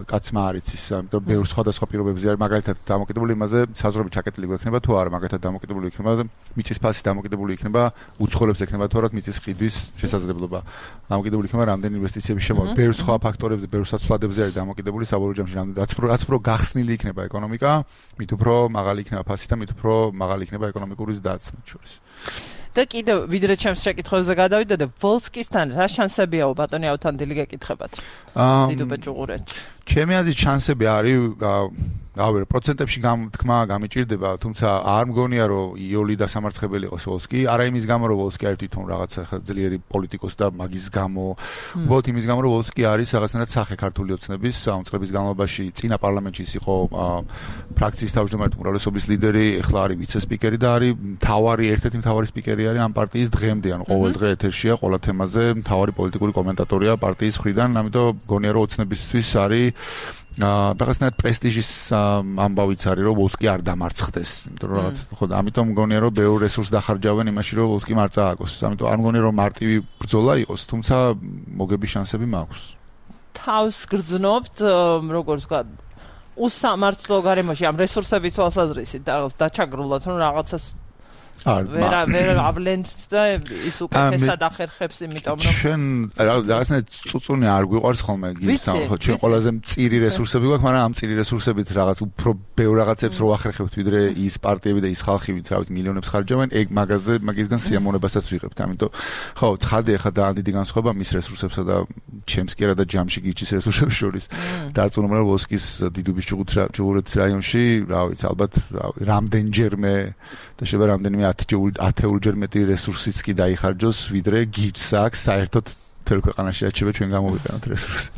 კაცმა არ იცის, ამიტომ ბევრ სხვადასხვა პირობებზე არის, მაგალითად დამოკიდებული იმაზე, საზღვრები ჩაკეტილი გვექნება თუ არა, მაგალითად დამოკიდებული იქნება მიწის ფასი, დამოკიდებული იქნება უცხოელებს ექნება თუ არა მიწის ყიდვის შესაძლებლობა. დამოკიდებული იქნება რამდენი ინვესტიციების შემოვა. ბევრ სხვა ფაქტორებზე, ბევრ საცვლადებზე არის დამოკიდებული საბოლოო ჯამში, რაც უფრო გახსნილი იქნება ეკონომიკა, მით უფრო მაღალი იქნება ფასი და მით უფრო მაღალი იქნება ეკონომიკური ზრდაც მათ შორის. და კიდევ ვიდრე ჩემს შეკითხვებზე გადავიდოდე, ვოლსკისთან რა შანსებიაო ბატონი ავთანდილი გეკითხებათ? დიდუბე ჭუღურეთში. ჩემი აზრით შანსები არის გავერ პროცენტებში თქმა გამიჭირდება, თუმცა არ მგონია რომ იოლი დასამარცხებელი იყოს ვოლსკი, არა იმის გამო რომ ვოლსკი არის თვითონ რაღაცა ძლიერი პოლიტიკოსი და მაგის გამო, უბრალოდ იმის გამო რომ ვოლსკი არის რაღაცნაირად სახე ქართული ოცნების წლების განმავლობაში წინა პარლამენტში იყო ფრაქციის თავმჯდომარე უმრავლესობის ლიდერი, ეხლა არის ვიცე-სპიკერი და არის ერთ-ერთი მთავარი სპიკერი არის ამ პარტიის დღემდე, ანუ ყოველ დღე ეთერშია ყველა თემაზე, მთავარი პოლიტიკური კომენტატორია პარტიის მხრიდან, ამიტომ მგონია რომ ოცნებისთვის არის რაღაცნაირად პრესტიჟის ამბავიც არის რომ ვოლსკი არ დამარცხდეს, იმიტომ რომ რაღაც ხო ამიტომ მგონია რომ ბევრ რესურსს დახარჯავენ იმაში რომ ვოლსკი არ წააგოს, ამიტომ არ მგონია რომ მარტივი ბრძოლა იყოს, თუმცა მოგების შანსები მაქვს. თავს გრძნობთ, როგორც ვთქვა, უსამართლო გარემოში ამ რესურსების თვალსაზრისით დაჩაგრულად რომ რაღაცას ვერ ავლენთ და ის უკეთესად ახერხებს, იმიტომ რომ ჩვენ რაღაცნაირად წუწუნი არ გვიყვარს ხოლმე გისამ, ხო ჩვენ ყველაზე მწირი რესურსები გვაქვს, მაგრამ ამ მწირი რესურსებით რაღაც უფრო ბევრ რაღაცებს რო ახერხებთ, ვიდრე ის პარტიები და ის ხალხი, ვინც რაღაც მილიონებს ხარჯავენ, ეგ მაგისგან სიამოვნებასაც ვიღებთ. ამიტომ ხო, ცხადია ხა და დიდი განსხვავება მის რესურსებსა და ჩემს კი არა და ჯამში გიჩის რესურსებს შორის. დარწმუნებული ვარ ვოლსკის დიდუბის ჭუღურეთის რაიონში, რა ვიცი, ალბათ რამდენჯერმე და შეიძლება რამდენიმე ათეულჯერ მეტი რესურსიც კი დაიხარჯოს, ვიდრე გიჩს აქვს საერთოდ მთელ ქვეყანაში აჩება ჩვენ გამოვიყენოთ რესურსი.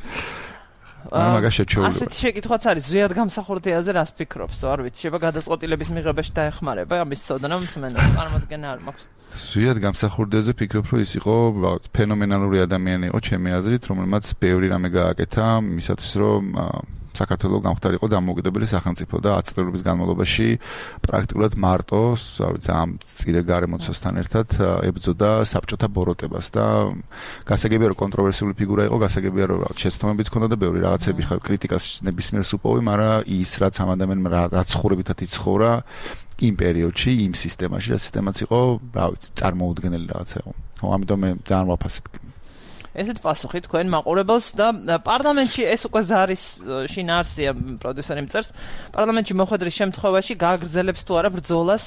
არა მაგას შეჩეულება. ასეთ შეკითხვაც არის ზვიად გამსახურდიაზე რას ფიქრობს? არ ვიცი, შეიძლება გადაწყვეტილების მიღებაში დაეხმარება ამის ცოდნა მსმენელს წარმოდგენა არ მაქვს. ზვიად გამსახურდიაზე ფიქრობ, რომ ის იყო ფენომენალური ადამიანი იყო ჩემი აზრით, რომელმაც ბევრი რამე გააკეთა იმისათვის, რომ საქართველოს გამختارიყო დამოუკიდებელი სახელმწიფო და 10 წლების განმავლობაში პრაქტიკულად მარტოს, ამ წირე გარემოცასთან ერთად ებრძოდა საბჭოთა ბოროტებას და გასაგებია რომ კონტროვერსიული ფიგურა იყო, გასაგებია რომ შეცდომებიც ჰქონდა და ბევრი რაღაცები კრიტიკას ნებისმიერს უპოვი, მაგრამ ის რაც ამ ადამიანმა რაც ცხოვრებითად იცხოვრა იმ პერიოდში, იმ სისტემაში, რა სისტემაც იყო, რა ვიცი, წარმოუდგენელი რაღაცა იყო. ხო, ამიტომ მე ძალიან ვაფასებ. ესეთ პასუხი თქვენ მაყურებელს და პარლამენტში ეს უკვე ზარის შინაარსია პროდიუსერი მწერს პარლამენტში მოხვედრის შემთხვევაში გააგრძელებს თუ არა ბრძოლას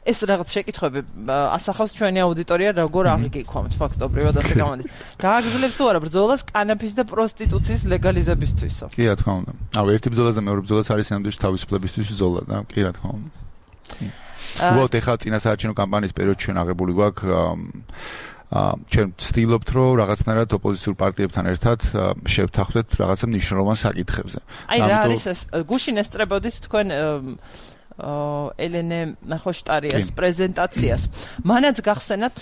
ეს რაღაც შეკითხვები ასახავს ჩვენი აუდიტორია როგორ აღიგიქვამთ ფაქტობრივად ასე გამოდის გააგრძელებს თუ არა ბრძოლას კანაფის და პროსტიტუციის ლეგალიზებისთვისო კი რა თქმა უნდა ერთი ბრძოლას და მეორე ბრძოლას არის სამდვიში თავისუფლებისთვის ბრძოლა და კი რა თქმა უნდა უბრალოდ ეხლა წინასაარჩევნო კამპანიის პერიოდში ჩვენ აღებული გვაქვს ჩვენ ვცდილობთ რომ რაღაცნაირად ოპოზიციურ პარტიებთან ერთად შევთანხმდეთ რაღაცა მნიშვნელოვან საკითხებზე. აი რა არის ეს გუშინ ესწრებოდით თქვენ ელენე ხოშტარიას პრეზენტაციას. მანაც გახსენათ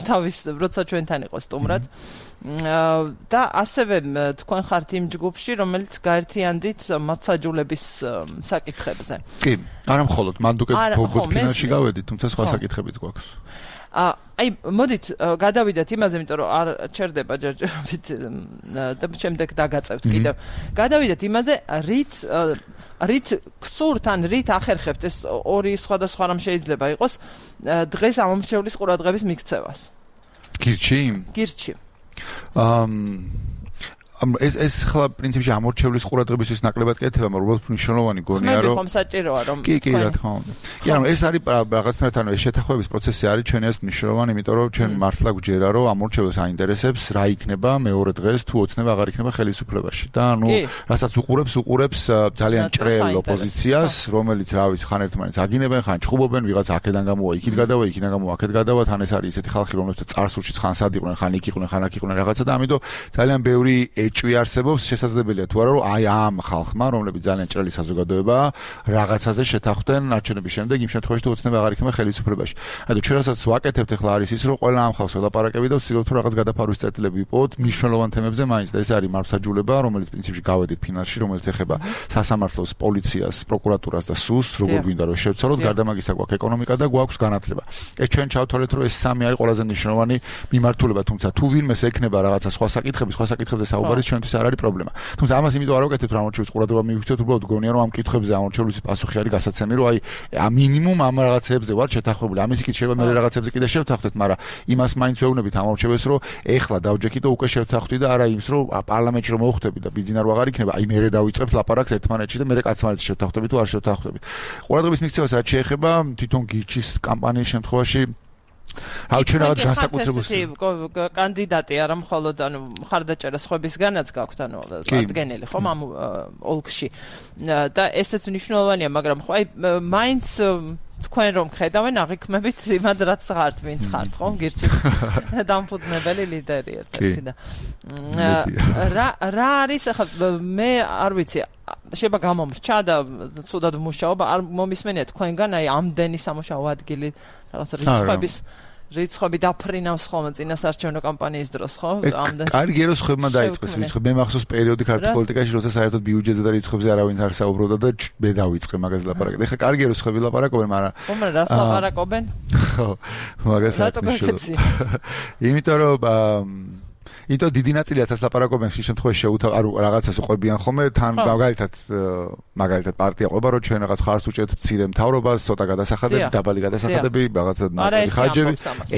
თავის როცა ჩვენთან იყო სტუმრად და ასევე თქვენ ხართ იმ ჯგუფში რომელიც გაერთიანდით მართლმსაჯულების საკითხებზე. კი, არა მხოლოდ მანდ უკვე ფინალში გავედით, თუმცა სხვა საკითხებიც გვაქვს. აი მოდით გადავიდეთ იმაზე, იმიტომ რომ არ ჩერდება ჯერჯერობით და შემდეგ დაგაწევთ კიდევ. გადავიდეთ იმაზე, რით გსურთ ან რით ახერხებთ ეს ორი სხვადასხვა რამ შეიძლება იყოს დღეს ამომრჩევლის ყურადღების მიქცევას. გირჩი. ეს ხლა პრინციპში ამორჩევლის ყურადღებისთვის ნაკლებად კეთება, მაგრამ უბრალოდ მნიშვნელოვანი გონია რომ ხომ საჭიროა რომ კი რა თქმა უნდა. კი ანუ ეს არის რაღაცნაირად ანუ ეს შეთანხმების პროცესი არის ჩვენი ეს მნიშვნელოვანი, იმიტომ რომ ჩვენ მართლა გვჯერა რომ ამორჩევლს აინტერესებს რა იქნება მეორე დღეს თუ ოცნება აღარ იქნება ხელისუფლებაში და ანუ რასაც უყურებს ძალიან ჭრელ ოპოზიციას, რომელიც რა ვიცი ხან ერთმანეთს აგინებენ, ხან ჭხუბობენ, ვიღაც აქედან გამოვა, იქით გადავა, იქიდან გამოვა, აქეთ გადავა, თან ეს არის ესეთი ხალხი რომელსაც წარსულში ხან სად იყვნენ, ხან იქ იყვნენ, ხან აქ იყვნენ რაღაცა და ამიტომ ძალიან ბევრი ეჭვი არსებობს, შესაძლებელია თუ არა რომ აი ამ ხალხმა, რომლებიც ძალიან ჭრელი საზოგადოებაა, რაღაცაზე შეთანხმდნენ არჩევნების შემდეგ, იმ შემთხვევაში თუ ოცნება აღარ იქნება ხელისუფლებაში. ანუ ჩვენ რასაც ვაკეთებთ ახლა არის ის, რომ ყველა ამ ხალხს ველაპარაკები და ვცდილობთ რომ რაღაც გადაფარვის წერტილები ვიპოვოთ მნიშვნელოვან თემებზე მაინც და ეს არის მართლმსაჯულება, რომელიც პრინციპში გავედით ფინალში, რომელიც ეხება სასამართლოს, პოლიციას, პროკურატურას და სუს, როგორ გვინდა რომ შევცვალოთ, გარდა მაგისა გვაქვს ეკონომიკა და გვაქვს განათლება. ეს ჩვენ ჩავთვალეთ რომ ეს სამი არის ყველაზე მნიშვნელოვანი მიმართულება, თუმცა თუ ვინმეს ექნება რაღაცა სხვა საკითხებზე საუბარი ჩვენთვის არ არის პრობლემა. თუმცა ამას იმიტომ არ ვაკეთებთ რომ ამორჩევლის ყურადღება მივიქცევთ, უბრალოდ გონია რომ ამ კითხვებზე ამორჩევლის პასუხი არის გასაცემი, რომ აი მინიმუმ ამ რაღაცებზე ვარ შეთანხმებული. ამის იქით შეიძლება მე რაღაცებზე კიდე შევთანხმდეთ, მაგრამ იმას მაინც ვეუბნებით ამორჩევეს, რომ ეხლა დავჯექი და უკვე შევთანხმდი და არა იმის, რომ პარლამენტში რომ მოვხვდები და ბიძინა რო აღარ იქნება, აი მე დავიწყებთ ლაპარაკს ერთმანეთში და მე კაცმანეთს შევთანხმდები თუ არ შევთანხმდებით. ყურადღების მიქცევას რაც შეეხება თვითონ გირჩის კამპანიის შემთხვევაში აუ ჩვენ რაღაც განსაკუთრებულს კანდიდატი არა მხოლოდ ანუ მხარდაჭერა სხვებისგანაც გაქვთ ანუ ადგენელი ხომ ამ ოლქში და ესეც მნიშვნელოვანია მაგრამ ხო აი მაინც თქვენ რომ ხედავენ აღიქმებით იმად რაც ხართ ვინც ხართ ხომ გირჩი დამფუძნებელი ლიდერი ერთ-ერთი და რა არის ახლა მე არ ვიცი შეიძლება გამომრჩა და ცუდად ვმუშაობ არ მომისმენია თქვენგან აი ამდენი სამუშაო ადგილი რაღაც რიცხვები დაფრინავს ხოლმე წინასაარჩევნო კამპანიის დროს ხო ამდენ კარგი რომ სხვებმა დაიწყეს რიცხვები მე მახსოვს პერიოდი ქართულ პოლიტიკაში როცა საერთოდ ბიუჯეტზე და რიცხვებზე არავინ არ საუბრობდა და მე დავიწყე მაგაზე ლაპარაკი ეხლა კარგი რომ სხვები ლაპარაკობენ მაგრამ ხომ რას ლაპარაკობენ ხო მაგას აკეთებ იმიტომ რომ იტო დიდი ნაწილიაც ას ლაპარაკობენ შე შემთხვევაში შეუთავ არ რაღაცას უყვებიან ხოლმე თან მაგალითად პარტია ყვება რომ ჩვენ რაღაც ხარს უჭერთ მცირე მთავრობას ცოტა გადასახადები დაბალი გადასახადები რაღაცა ხარჯები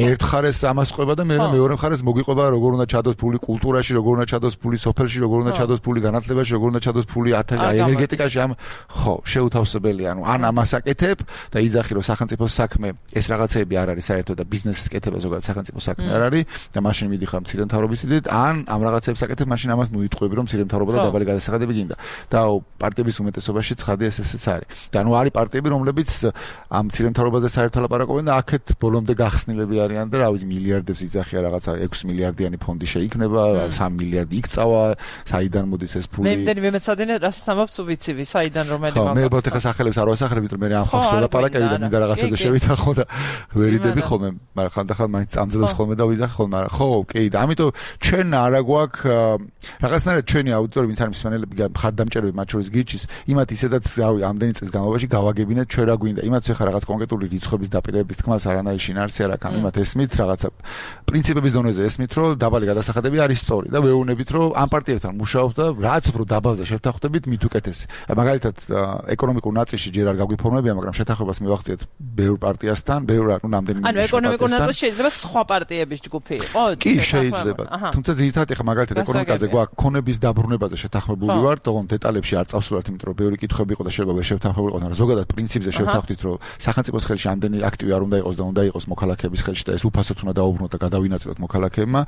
ერთ ხარეს ამას ყვება და მეორე ხარეს მოგიყვება როგორ უნდა ჩადოს ფული კულტურაში როგორ უნდა ჩადოს ფული სოფელში როგორ უნდა ჩადოს ფული განათლებაში როგორ უნდა ჩადოს ფული ენერგეტიკაში ამ ხო შეუთავსებელი ანუ ან ამას აკეთებ და იძახი რომ სახელმწიფოს საქმე ეს რაღაცეები არ არის საერთოდ და ბიზნესის კეთება ზოგადად სახელმწიფოს საქმე არ არის და მაშინ მიდიხარ მცირე მთავრობის მისდით, ან ამ რაღაცებს აკეთებ, მაშინ ამას ნუიტყვები, რომ მცირე მთავრობა და დაბალი გადასახადები გინდა. და პარტიების უმეტესობაში ცხადია ესეც არის. და ანუ არის პარტიები, რომლებიც ამ მცირე მთავრობაზე საერთოდ ლაპარაკობენ და აქეთ ბოლომდე გახსნილები არიან და რა ვიცი მილიარდებს იძახია რაღაცა 6 მილიარდიანი ფონდი შეიქმნება, 3 მილიარდი იქწავა, საიდან მოდის ეს ფული. მე იმდენი მეცადინე რასაც ამბობთ ვიცი, საიდან რომელი მაგა. მე ბოთეხა სახელებს არ ვასახელებ, იმიტომ მე ამ ხალხს ველაპარაკები და მინდა რაღაცაზე შევითხო და ვერიდები ხოლმე, მაგრამ ხანდახან მაინც წამძლებს ხოლმე და ვიძახი ხოლმე, მაგრამ ხო, ოკეი და ამიტომ ჩვენ არა გვაქვს რაღაცნაირად ჩვენი აუდიტორი ვინც არის მსმენელები მხარდამჭერები მათ შორის გიჩის, იმათ ისედაც ამდენი წელს განმავლობაში გავაგებინეთ ჩვენ რა გვინდა. იმათ ხა რაღაც კონკრეტული რიცხვების დაპირებების თქმას არანაირი შინაარსი არ აქვს, იმათ ესმით რაღაცა პრინციპების დონეზე ესმით, რომ დაბალი გადასახადები არის სწორი და ვეუბნებით, რომ ამ პარტიებთან მუშაობთ და რაც უფრო დაბალზე შევთანხმდებით, მით უკეთესი. მაგალითად, ეკონომიკურ ნაწილში ჯერ არ გაგვიფორმებია, მაგრამ შეთანხმებას მივახციეთ ბევრ პარტიასთან, ბევრ ნამდვილად ანუ ეკონომიკურ ნაწილში შეიძლება სხვა პარტიების ჯგუფი იყო? კი, შეიძლება. თუმცა ძირითადად ეხა მაგალითად ეკონომიკაზე გვაქვს ქონების დაბრუნებაზე შეთანხმებული ვარ, თუმცა დეტალებში არ წავსულობთ, იმიტომ რომ ბევრი კითხვები იყო და შეიძლება ვერ შევთანხმებულიყო, მაგრამ ზოგადად პრინციპზე შევთანხმდით, რომ სახელმწიფოს ხელში ამდენი აქტივი არ უნდა იყოს და უნდა იყოს მოქალაქეების ხელში და ეს უფასოდ უნდა დაუბრუნოთ და გადავინაწილოთ მოქალაქეებმა.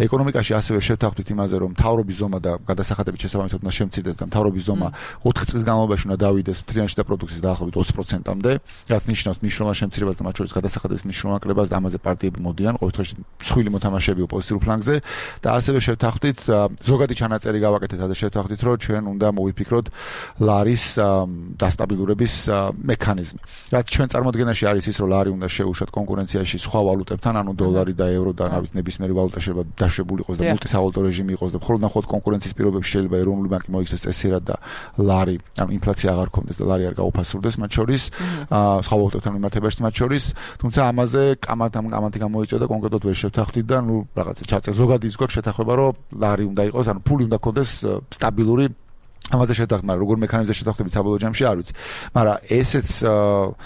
ეკონომიკაში ასევე შევთანხმდით იმაზე, რომ მთავრობის ზომა და გადასახადების შესაბამისად უნდა შემცირდეს და მთავრობის ზომა 4 წლის განმავლობაში უნდა დავიდეს მთლიანში და პროდუქციის დაახლოებით 20%-მდე, რაც ნიშნავს მნიშვნელოვან შემცირებას და მათ შორის გადასახადების მნიშვნელოვან კრებას და ამაზე პარტიები მოდიან, ყოველ შემთხვევაში მსხვილი მოთამაშეები ოპოზიციურ ფლანგზე და ასევე შევთანხმდით ზოგადი ჩანაწერი გავაკეთეთ და შევთანხმდით, რომ ჩვენ უნდა მოვიფიქროთ ლარის დასტაბილურების მექანიზმი. რაც ჩვენ წარმოადგენაში არის ის, რომ ლარი უნდა შეუშვათ კონკურენციაში სხვა ვალუტებთან, ანუ დოლარი და ევრო და რავით ნებისმიერი ვალუტა შეიძლება დაშვებული იყოს და მულტისავალუტო რეჟიმი იყოს და მხოლოდ ნახოთ კონკურენციის პირობებში შეიძლება ეროვნული ბანკი მოიქცეს წესიერად და ლარი, ანუ ინფლაცია აღარ გქონდეს და ლარი არ გაუფასურდეს მათ შორის, სხვა ვალუტებთან მიმართებაში მათ შორის, თუმცა ამაზე კამათი გამოიწვია და კონკრეტულად ვერ შევთანხმდით და ნუ რაღაცა ჩაწერ ზოგადი ის გვაქვს შეთანხმება, რომ ლარი უნდა იყოს, ანუ ფული უნდა გქონდეს სტაბილური ამაზე შეთანხმება, მაგრამ როგორ მექანიზმზე შეთანხმდებით საბოლოო ჯამში არ ვიცი. მაგრამ ესეც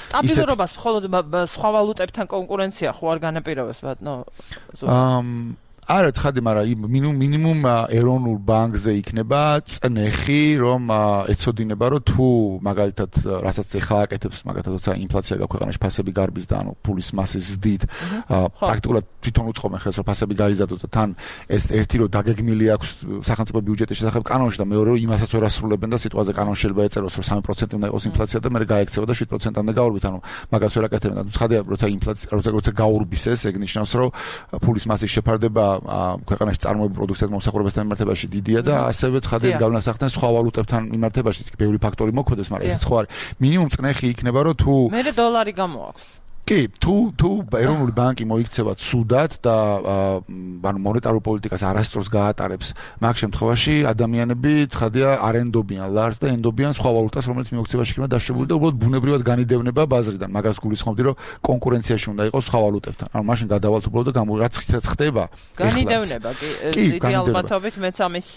სტაბილურობას მხოლოდ სხვა ვალუტებთან კონკურენცია ხო არ განაპირობებს ბატონო? არა ცხადი, მაგრამ მინიმუმ ეროვნულ ბანკზე იქნება წნეხი, რომ ეცოდინება, რომ თუ მაგალითად რასაც ეხლა აკეთებს, მაგალითად როცა ინფლაცია გაქვეყნაში ფასები გარბის და ანუ ფულის მასის ზრდით, პრაქტიკულად თვითონ უწყობენ ხელს, რომ ფასები გაიზარდოს და თან ეს ერთი რომ დაგეგმილი აქვს სახელმწიფო ბიუჯეტის შესახებ კანონში და მეორე რომ იმასაც ვერ ასრულებენ და სიტუაციაზე კანონში შეიძლება ეწეროს, რომ 3% უნდა იყოს ინფლაცია და მე გაექცევა და 7%-მდე გაურბით, ანუ მაგას ვერ აკეთებენ და ცხადია, როცა ინფლაცია როცა გაურბის ეს, ეგ ნიშნავს, რომ ფულის მასის შეფარდება ქვეყანაში წარმოებულ პროდუქციას მომსახურებასთან მიმართებაში დიდია და ასევე ცხადია ეს გავლენას სხვა ვალუტებთან მიმართებაში ბევრი ფაქტორი მოქმედებს, მაგრამ ესეც ხო არის. მინიმუმ წნეხი იქნება, რომ თუ მე დოლარი გამოაქვს. კი, თუ ეროვნული ბანკი მოიქცევა ცუდად და ანუ მონეტარულ პოლიტიკას არასწორს გაატარებს, მაგ შემთხვევაში ადამიანები ცხადია არ ენდობიან ლარს და ენდობიან სხვა ვალუტას, რომელიც მიოქცევაში იქნება დაშვებული და უბრალოდ ბუნებრივად განიდევნება ბაზრიდან. მაგას გულისხმობდი, რომ კონკურენციაში უნდა იყოს სხვა ვალუტებთან. ანუ მაშინ გადავალთ უბრალოდ და რაც ხდება. განიდევნება კი, დიდი ალბათობით მეც ამის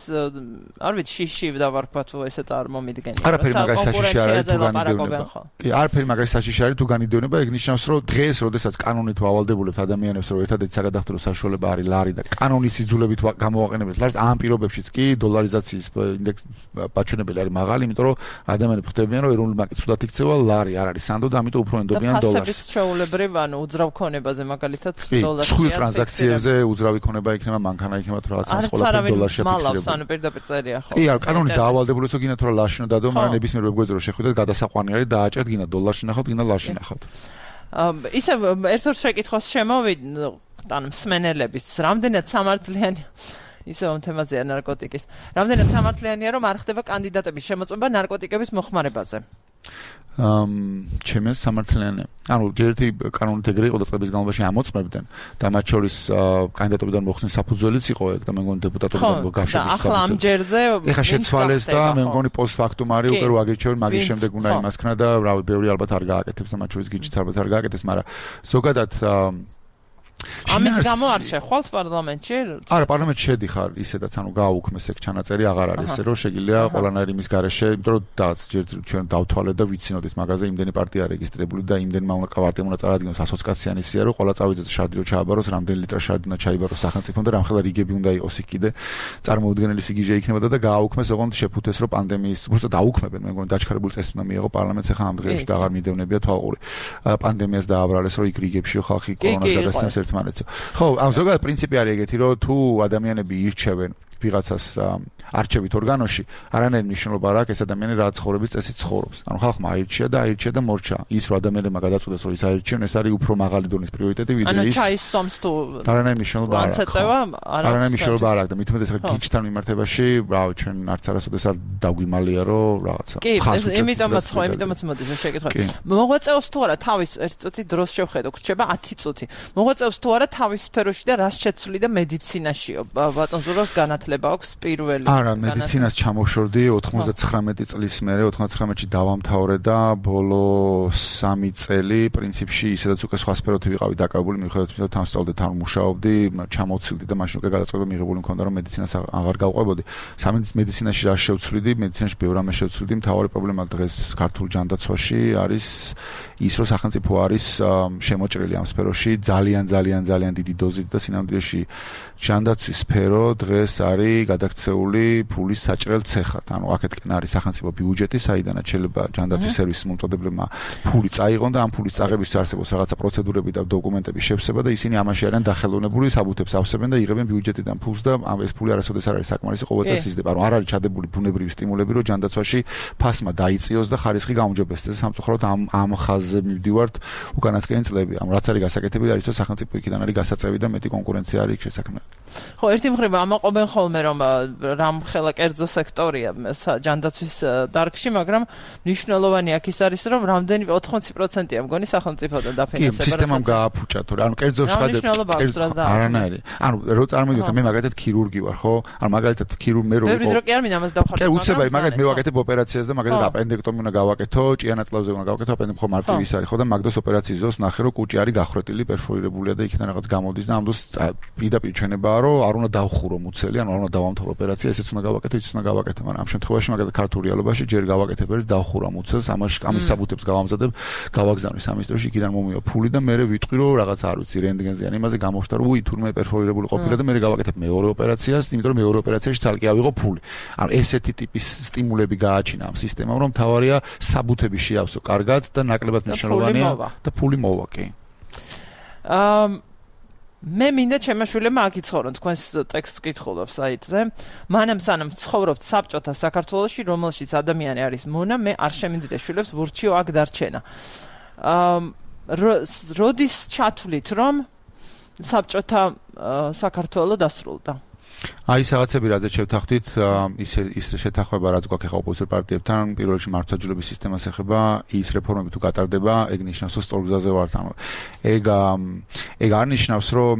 არ ვიცი შიში დავარქვა თუ ესეც არ მომიდგენია. არაფერი მაგას საშიში არ არის თუ განიდევნება. კი, არაფერი მაგას საშიში არის თუ განიდევნება, ეგ ნიშნავს, რომ დღეს, როდესაც კანონით ვავალდებულებთ ადამიანებს, რომ ერთადერთი საგადახდრო საშუალება არის ლარი და კანონის იძულებით გამოვაყენებთ ლარს, ამ პირობებშიც კი დოლარიზაციის ინდექსი პაჩვენებელი არის მაღალი, იმიტომ რომ ადამიანები ხვდებიან, რომ ეროვნული ბანკი ცუდად იქცევა, ლარი არ არის სანდო და ამიტომ უფრო ენდობიან დოლარს. ფასების ჩვეულებრივ, ანუ უძრავ ქონებაზე მაგალითად დოლარში. სხვილ ტრანზაქციებზე უძრავი ქონება იქნება, მანქანა იქნება თუ რაღაცა ყველაფერი დოლარში აფიქსირებული. მალავს, ანუ პირდაპირ წერია ხო? კი, კანონით დაავალდებულებს, რომ გინდა თუ რა ლარში უნდა დადო, მაგრამ ნებისმიერ ვებგვერდზე რომ შეხვიდეთ, გადასაყვანი არის დააჭერთ, გინდა დოლარში ნახავთ, გინდა ლარში ნახავთ. ისე ერთ-ერთ შეკითხვას შემოვიდეთ, ანუ მსმენელების, რამდენად სამართლიანი ისე ამ თემაზეა ნარკოტიკის. რამდენად სამართლიანია, რომ არ ხდება კანდიდატების შემოწმება ნარკოტიკების მოხმარებაზე? ჩემს სამართლიანია. ანუ ჯერეთი კანონით ეგრე იყო და წლების განმავლობაში ამოწმებდნენ და მათ შორის კანდიდატობიდან მოხსნის საფუძველიც იყო ეგ და მე მგონი დეპუტატობიდან გაშობის საფუძველი. ახლა ამ ჯერზე ეხა შეცვალეს და მე მგონი პოსტფაქტუმ არის უკვე რო აგირჩევენ, მაგის შემდეგ უნდა იმასქნა და რავი, ბევრი ალბათ არ გააკეთებს და მათ შორის გიჩიც ალბათ არ გააკეთებს, მაგრამ ზოგადად ამის გამო არ შეხვალთ პარლამენტში? არა, პარლამენტში შედიხარ, ისედაც ანუ გააუქმეს ეგ ჩანაწერი, აღარ არის ესე, რომ შეგიძლია ყველანაირი იმის გარეშე, იმიტომ რომ დაც ჯერ ჩვენ დავთვალეთ და ვიცინოდით მაგაზე იმდენი პარტია რეგისტრირებული და იმდენმა უნდა პარტიამ უნდა წარადგინოს ასოცაციანი სია, რომ ყველა წავიდეს შარდი რო ჩააბაროს, რამდენი ლიტრა შარდი უნდა ჩაიბაროს სახელმწიფომ და რამხელა რიგები უნდა იყოს იქ კიდე წარმოუდგენელი სიგიჟე იქნებოდა და გააუქმეს, ოღონდ შეფუთეს, რომ პანდემიის უბრალოდ დაუქმებენ, მე მგონი დაჩქარებული წესი უნდა მიიღო პარლამენტს, ახლა ამ დღეებში და აღარ მიდევნებია თვალყური. პანდემიას დააბრალეს, რომ იქ რიგებში ხალხი კორონას გადასცემს ერთმანეთს. საინფორმაციო. ხო, ამ ზოგადად პრინციპი არის ეგეთი, რომ თუ ადამიანები ირჩევენ ვიღაცას არჩევით ორგანოში, არანაირი მნიშვნელობა არ აქვს ეს ადამიანი რა ცხოვრების წესით ცხოვრობს. ანუ ხალხმა აირჩია და მორჩა. ის რომ ადამიანებმა გადაწყვეტეს რომ ის აირჩიონ, ეს არის უფრო მაღალი დონის პრიორიტეტი ვიდრე ის. ანუ ჩაისწომს თუ არანაირი მნიშვნელობა არ აქვს. არანაირი მნიშვნელობა არ აქვს და მით უმეტეს გიჩთან მიმართებაში, რავი, ჩვენ არც არასოდეს არ დაგვიმალია რომ რაღაცა. კი, იმიტომაც მოდი შეკითხვა. მოღვაწეობს თუ არა თავის ერთ წუთი დროს შევხედო, გრჩება 10 წუთი. მოღვაწეობს თუ არა თავის სფეროში და რას შეცვლი და მედიცინაშიო. ბატონ ზუროს განათლება აქვს პირველი. არა, მედიცინას ჩამოშორდი 99 წლის მერე 99-ში დავამთავრე და ბოლო 3 წელი პრინციპში ისედაც უკვე სხვა სფეროთი ვიყავი დაკავებული, მიუხედავად იმისა, რომ თანამშრომლად არ მუშაობდი, ჩამოვცილდი და მაშინ უკვე გადაწყვეტა მიღებული მქონდა, რომ მედიცინას აღარ გავყვებოდი. მედიცინაში რა შევცვლიდი, მედიცინაში ბევრ რამეს შევცვლიდი, მთავარი პრობლემა დღეს ქართულ ჯანდაცვაში არის ის, რომ სახელმწიფო არის შემოჭრილი ამ სფეროში ძალიან დიდი დოზით და სინამდვილეში ჯანდაცვის სფერო დღეს არის გადაქცეული ფულის საჭრელ ცეხად. ანუ აქეთკენ არის სახელმწიფო ბიუჯეტი, საიდანაც შეიძლება ჯანდაცვის სერვისის მომწოდებლებმა ფული წაიღონ და ამ ფულის წაღებისთვის არსებობს რაღაცა პროცედურები და დოკუმენტების შევსება და ისინი ამაში არიან დახელოვნებული, საბუთებს ავსებენ და იღებენ ბიუჯეტიდან ფულს და ეს ფული არასოდეს არ არის საკმარისი ყოველწელს იზრდება. ანუ არ არის ჩადებული ბუნებრივი სტიმულები, რომ ჯანდაცვაში ფასმა დაიწიოს და ხარისხი გაუმჯობესდეს. სამწუხაროდ ამ ხაზზე მივდივართ უკანასკნელი წლები. ანუ რაც არის გასაკეთებელი არის, რომ სახელმწიფო იქიდან არის გასაწევი და მეტი კონკურენცია არის შესაქმნელი. ხო, ერთი მხრივ ამაყობენ ხოლმე რომ რამ ხელა კერძო სექტორია ჯანდაცვის დარგში, მაგრამ მნიშვნელოვანი აქ ის არის, რომ რამდენი 80%-ია მგონი სახელმწიფოდან დაფინანსება. კი, სისტემამ გააფუჭა, თორე ანუ კერძო არანაირი. ანუ რო წარმოვიდეთ, მე მაგალითად ქირურგი ვარ, ხო? ანუ მაგალითად მე რო ვიყო. კი, არ მინდა ამას დავხარჯო. კი, უცებაი, მაგალითად მე ვაკეთებ ოპერაციას და მაგალითად აპენდექტომი უნდა გავაკეთო, ჭიანაწლავზე უნდა გავაკეთო, აპენდექტომი ხო მარტივი ის არის, ხო და მაგდოს ოპერაციის დროს ნახე, რომ კუჭი არის გახრეტილი, პერფორირებულია და იქიდან რაღაც გამოდის და ამ დროს პირდაპირ ჩვენებაა, რომ არ უნდა დავხურო მუცელი, ანუ არ უნდა დავამთავრო ოპერაცია, ესეც უნდა გავაკეთო, ისიც უნდა გავაკეთო, მაგრამ ამ შემთხვევაში მაგალითად ქართულ რეალობაში ჯერ გავაკეთებ ეს დავხურა მუცელს, ამის საბუთებს გავამზადებ, გავაგზავნე სამის დროში, იქიდან მომივა ფული და მე ვიტყვი, რომ რაღაც არ ვიცი, რენტგენზე ან იმაზე გამოხდა, რომ უი თურმე პერფორირებული ყოფილა და მე გავაკეთებ მეორე ოპერაციას, იმიტომ რომ მეორე ოპერაციაში ცალკე ავიღო ფული. ანუ ესეთი ტიპის სტიმულები გააჩინა ამ სისტემამ, რომ თავარია საბუთები შეავსო კარგად და ნაკლებად მნიშვნელოვანია და ფული მოვა, კი. მე მინდა ჩემაშვილებმა აკიცხოვონ თქვენს ტექსტს კითხულობს საიტზე. მანამ სანამ ცხოვრობთ საბჭოთა საქართველოში, რომელშიც ადამიანი არის მონა, მე არ შემიძლია შვილებს ვურჩიო აქ დარჩენა. როდის ჩათვლით, რომ საბჭოთა საქართველო დასრულდა? აი რაღაცები რაზეც შევთანხმდით, ის შეთანხმება რაც გვაქვს ახლა ოპოზიციურ პარტიებთან, პირველ რიგში მართლმსაჯულების სისტემას ეხება, ის რეფორმები თუ გატარდება, ეგ ნიშნავს, რომ სწორ გზაზე ვართ. ანუ ეგ არ ნიშნავს, რომ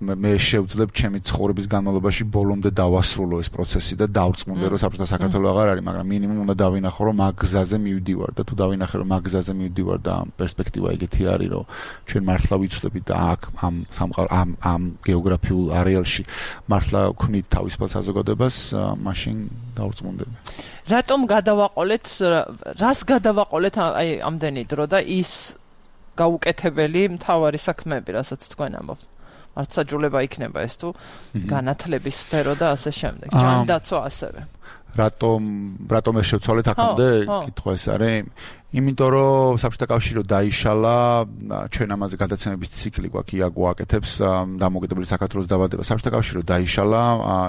მე შევძლებ ჩემი ცხოვრების განმავლობაში ბოლომდე დავასრულო ეს პროცესი და დავწმუნდე, რომ საბჭოთა საქართველო აღარ არის, მაგრამ მინიმუმ უნდა დავინახო, რომ მაგ გზაზე მივდივარ და თუ დავინახე, რომ მაგ გზაზე მივდივარ და პერსპექტივა ეგეთი არის, რომ ჩვენ მართლა ვიცვლებით და აქ ამ გეოგრაფიულ არეალში მართლა ვქნით თავისუფალ საზოგადოებას, მაშინ დავწმუნდები. რატომ რას გადავაყოლეთ აი ამდენი დრო და ის გაუკეთებელი მთავარი საქმეები, რასაც თქვენ ამბობთ? მართლმსაჯულება იქნება ეს თუ განათლების სფერო და ასე შემდეგ. ჯანდაცვა ასევე. რატომ ეს შევცვალეთ აქამდე? კითხვა ეს არის. იმიტომ რომ საბჭოთა კავშირი დაიშალა, ჩვენ ამაზე გადაცემების ციკლი გვაქვს, ია გვაკეთებს დამოუკიდებელი საქართველოს დაბადება. საბჭოთა კავშირი დაიშალა,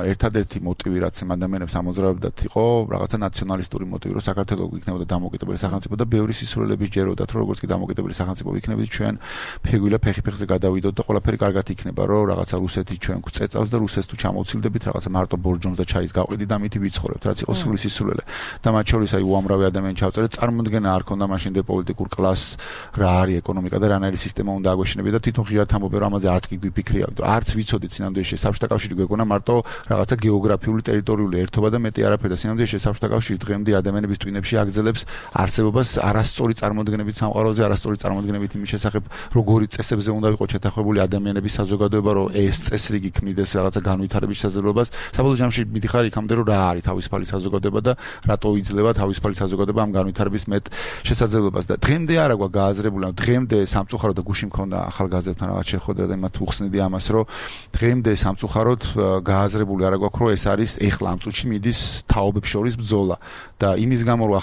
ერთადერთი მოტივი რაც ამ ადამიანებს ამოძრავებდათ იყო რაღაცა ნაციონალისტური მოტივი, რომ საქართველო იქნებოდა დამოუკიდებელი სახელმწიფო და ბევრი სისულელები ჯეროდათ, რომ როგორც კი დამოუკიდებელი სახელმწიფო ვიქნებით, ჩვენ ფეგვილა ფეხი-ფეხზე გადავიდოთ და ყველაფერი კარგად იქნება, რომ რაღაცა რუსეთი ჩვენ გვწეწავს და რუსეთს თუ ჩამოვცილდებით, რაღაცა მარტო ბორჯომს და ჩაის გავყიდით და ამით ვიცხოვრებთ, რაც იყო სული სისულელე. და მათ შორის აი უამრავი ადამიანი ჩავწერეთ, წარმოუდგენა არ ქონდა მაშინ პოლიტიკურ კლასს რა არის ეკონომიკა და რანაირი სისტემა უნდა აგვეშინებინა და თვითონ ღიად ამბობენ რომ ამაზე არც კი გვიფიქრია, არც ვიცოდით სინამდვილეში საბჭოთა კავშირი გვეგონა მარტო რაღაცა გეოგრაფიული ტერიტორიული ერთობა და მეტი არაფერი და სინამდვილეში საბჭოთა კავშირი დღემდე ადამიანების ტვინებში აგზელებს არსებობას არასწორი წარმოდგენებით სამყაროზე, არასწორი წარმოდგენებით იმის შესახებ როგორი წესებზე უნდა ვიყო შეთანხმებული ადამიანების საზოგადოება, რომ ეს წესრიგი ქმნიდეს რაღაცა განვითარების შესაძლებლობას. საბოლოო ჯამში მიდიხარ იქამდე რომ რა არის თავის თავისუფალი საზოგადოება და რატო იძლევა თავისუფალი საზოგადოება ამ განვითარების მეტ შესაძლებლობას და დღემდე არა გვაქვს გააზრებული, დღემდე სამწუხაროდ და გუში მქონდა ახალგაზრდებთან რაღაც შეხვედრა და მათ უხსნიდი ამას, რომ დღემდე სამწუხაროდ გააზრებული არა გვაქვს, რომ ეს არის ეხლა ამ წუთში მიდის თაობებს შორის ბრძოლა და იმის გამო რომ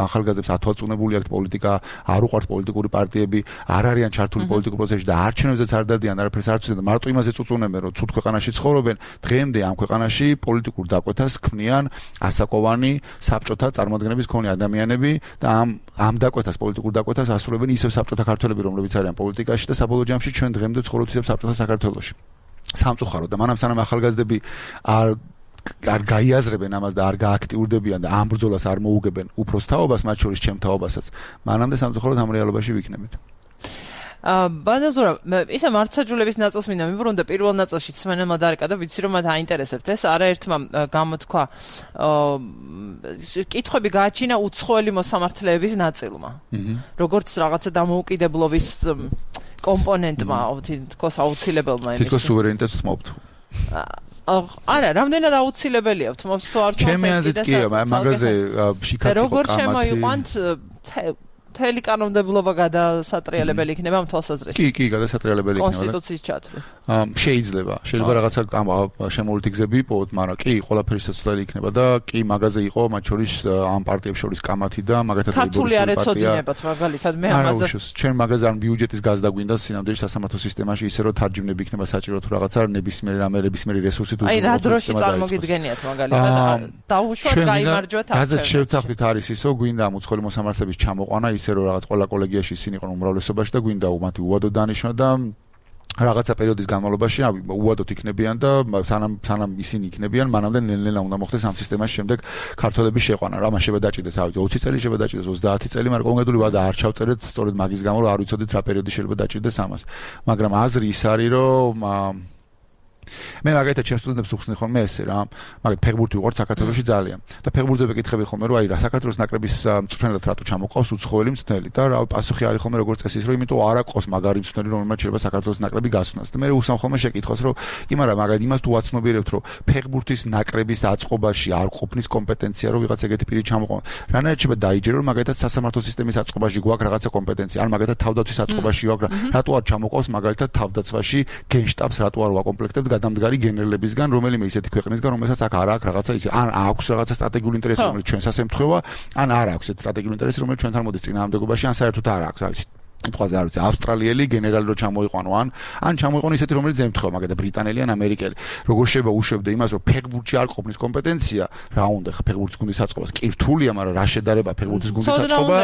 ახალგაზრდებს ათვალწუნებული აქვთ პოლიტიკა, არ უყვართ პოლიტიკური პარტიები, არ არიან ჩართული პოლიტიკურ პროცესში და არჩევნებზეც არ დადიან, არაფერს არ ცდილობენ, მარტო იმაზე წუწუნებენ, რომ ცუდ ქვეყანაში ცხოვრობენ. დღემდე ამ ქვეყანაში პოლიტიკურ დაკვეთას ქმნიან ასაკოვანი საბჭოთა წარმოადგენების მქონე ადამიანები და ამ დაკვეთას პოლიტიკურ დაკვეთას ასრულებენ ისევ საბჭოთა ქართველები, რომლებიც არიან პოლიტიკაში და საბოლოო ჯამში ჩვენ დღემდე ცხოვრობთ ისევ საბჭოთა საქართველოში. სამწუხაროდ და მანამ სანამ ახალგაზრდები არ გაიაზრებენ ამას და არ გააქტიურდებიან და ამ ბრძოლას არ მოუგებენ უფროს თაობას, მათ შორის ჩემ თაობასაც, მანამდე სამწუხაროდ ამ რეალობაში ვიქნებით. ბანაზურა, ისე მართლმსაჯულების ნაწილს მინდა მივუბრუნდა პირველ ნაწილში სვენელმა დარეკა და ვიცი რომ მათ აინტერესებთ ეს, არაერთმა გამოთქვა კითხვები გააჩინა უცხოელი მოსამართლეების ნაწილმა. როგორც რაღაცა დამოუკიდებლობის კომპონენტმა, თქოს აუცილებელმა იმის. თითქოს სუვერენიტეტს თმობთ. არა, რამდენად აუცილებელია თმობთ თუ არ თქოს. ჩემი აზრით კი, მაგაზე შიქაც იყო როგორ შემოიყვანთ მთელი კანონმდებლობა გადასატრიალებელი იქნება ამ თვალსაზრისით. კი, გადასატრიალებელი იქნება. კონსტიტუციის ჩათვლით. შეიძლება რაღაცა შემოვლითი გზები იპოვოთ, მაგრამ კი, ყველაფერი საცვლელი იქნება და კი, მაგაზე იყო მათ შორის ამ პარტიებს შორის კამათი და მაგათაც ქართული არ ეცოდინებათ, მაგალითად მე ამაზე. ჩვენ მაგაზე არ ბიუჯეტის გაზდა გვინდა სინამდვილეში სასამართლო სისტემაში ისე რომ თარჯიმნები იქნება საჭირო თუ რაღაცა ნებისმიერი რესურსი თუ აი რა დროში წარმოგიდგენიათ მაგალითად დაუშვათ გაიმარჯვათ აქ. გაზეთ შევთანხმდით არის ისო გვინდა ამ უცხოელი მოსამართლეების ჩამოყვანა ისე რომ რაღაც ყველა კოლეგიაში ისინი იყვნენ უმრავლესობაში და გვინდა მათი უვადო დანიშვნა და რაღაცა პერიოდის განმავლობაში უვადოთ იქნებიან და სანამ ისინი იქნებიან, მანამდე ნელ-ნელა უნდა მოხდეს ამ სისტემაში შემდეგ ქართველების შეყვანა. რა მასშტაბად დაჭირდეს, 20 წელი შეიძლება დაჭირდეს, 30 წელი, მაგრამ კონკრეტული ვადა არ ჩავწერეთ, სწორედ მაგის გამო რომ არ ვიცოდით რა პერიოდი შეიძლება დაჭირდეს ამას. მაგრამ აზრი ის არის, რომ მე მაგალითად ჩემს სტუდენტებს უხსნი ხოლმე ესე რა, მაგალითად ფეხბურთი უყვართ საქართველოში ძალიან და ფეხბურთზე ვეკითხები ხოლმე რომ აი რა საქართველოს ნაკრების მწვრთნელად რატო ჩამოყავს უცხოელი მწვრთნელი და რა პასუხი არის ხოლმე როგორც წესი რომ იმიტომ არ აქვს მაგარი მწვრთნელი რომელმაც შეიძლება საქართველოს ნაკრები გასვნას და მე უსამ ხოლმე შეკითხვას რომ კი მაგრამ მაგალითად იმას თუ აცნობიერებთ რომ ფეხბურთის ნაკრების აწყობაში არ ყოფნის კომპეტენცია რომ ვიღაც ეგეთი პირი ჩამოყვა რანაირად შეიძლება დაიჯერო რომ მაგალითად სასამართლო სისტემის აწყობაში გვაქვს რაღაცა კომპეტენცია ან მაგალითად თავდაცვის აწყობაში გვაქვს რატო არ ჩამოყავს მაგალითად თავდაცვაში გენშტაბს რატო არ ვაკომპლექტებთ გადამდგარი გენერლებისგან რომელიმე ისეთი ქვეყნისგან რომელსაც აქ არ აქვს რაღაცა ისე ან აქვს რაღაცა სტრატეგიული ინტერესი რომელიც ჩვენსაც ემთხვევა ან არ აქვს ეს სტრატეგიული ინტერესი რომელიც ჩვენთან მოდის წინააღმდეგობაში ან საერთოდ არ აქვს არის თქვაზე არ ვიცი ავსტრალიელი გენერალი რო ჩამოიყვანო ან ჩამოიყვანო ისეთი რომელიც ემთხვევა მაგალითად ბრიტანელი ან ამერიკელი როგორ შეიძლება უშვებდე იმას რომ ფეხბურთში არ ყოფნის კომპეტენცია რა უნდა ხა ფეხბურთის გუნდის აწყობას კი რთულია მაგრამ რა შედარება ფეხბურთის გუნდის აწყობა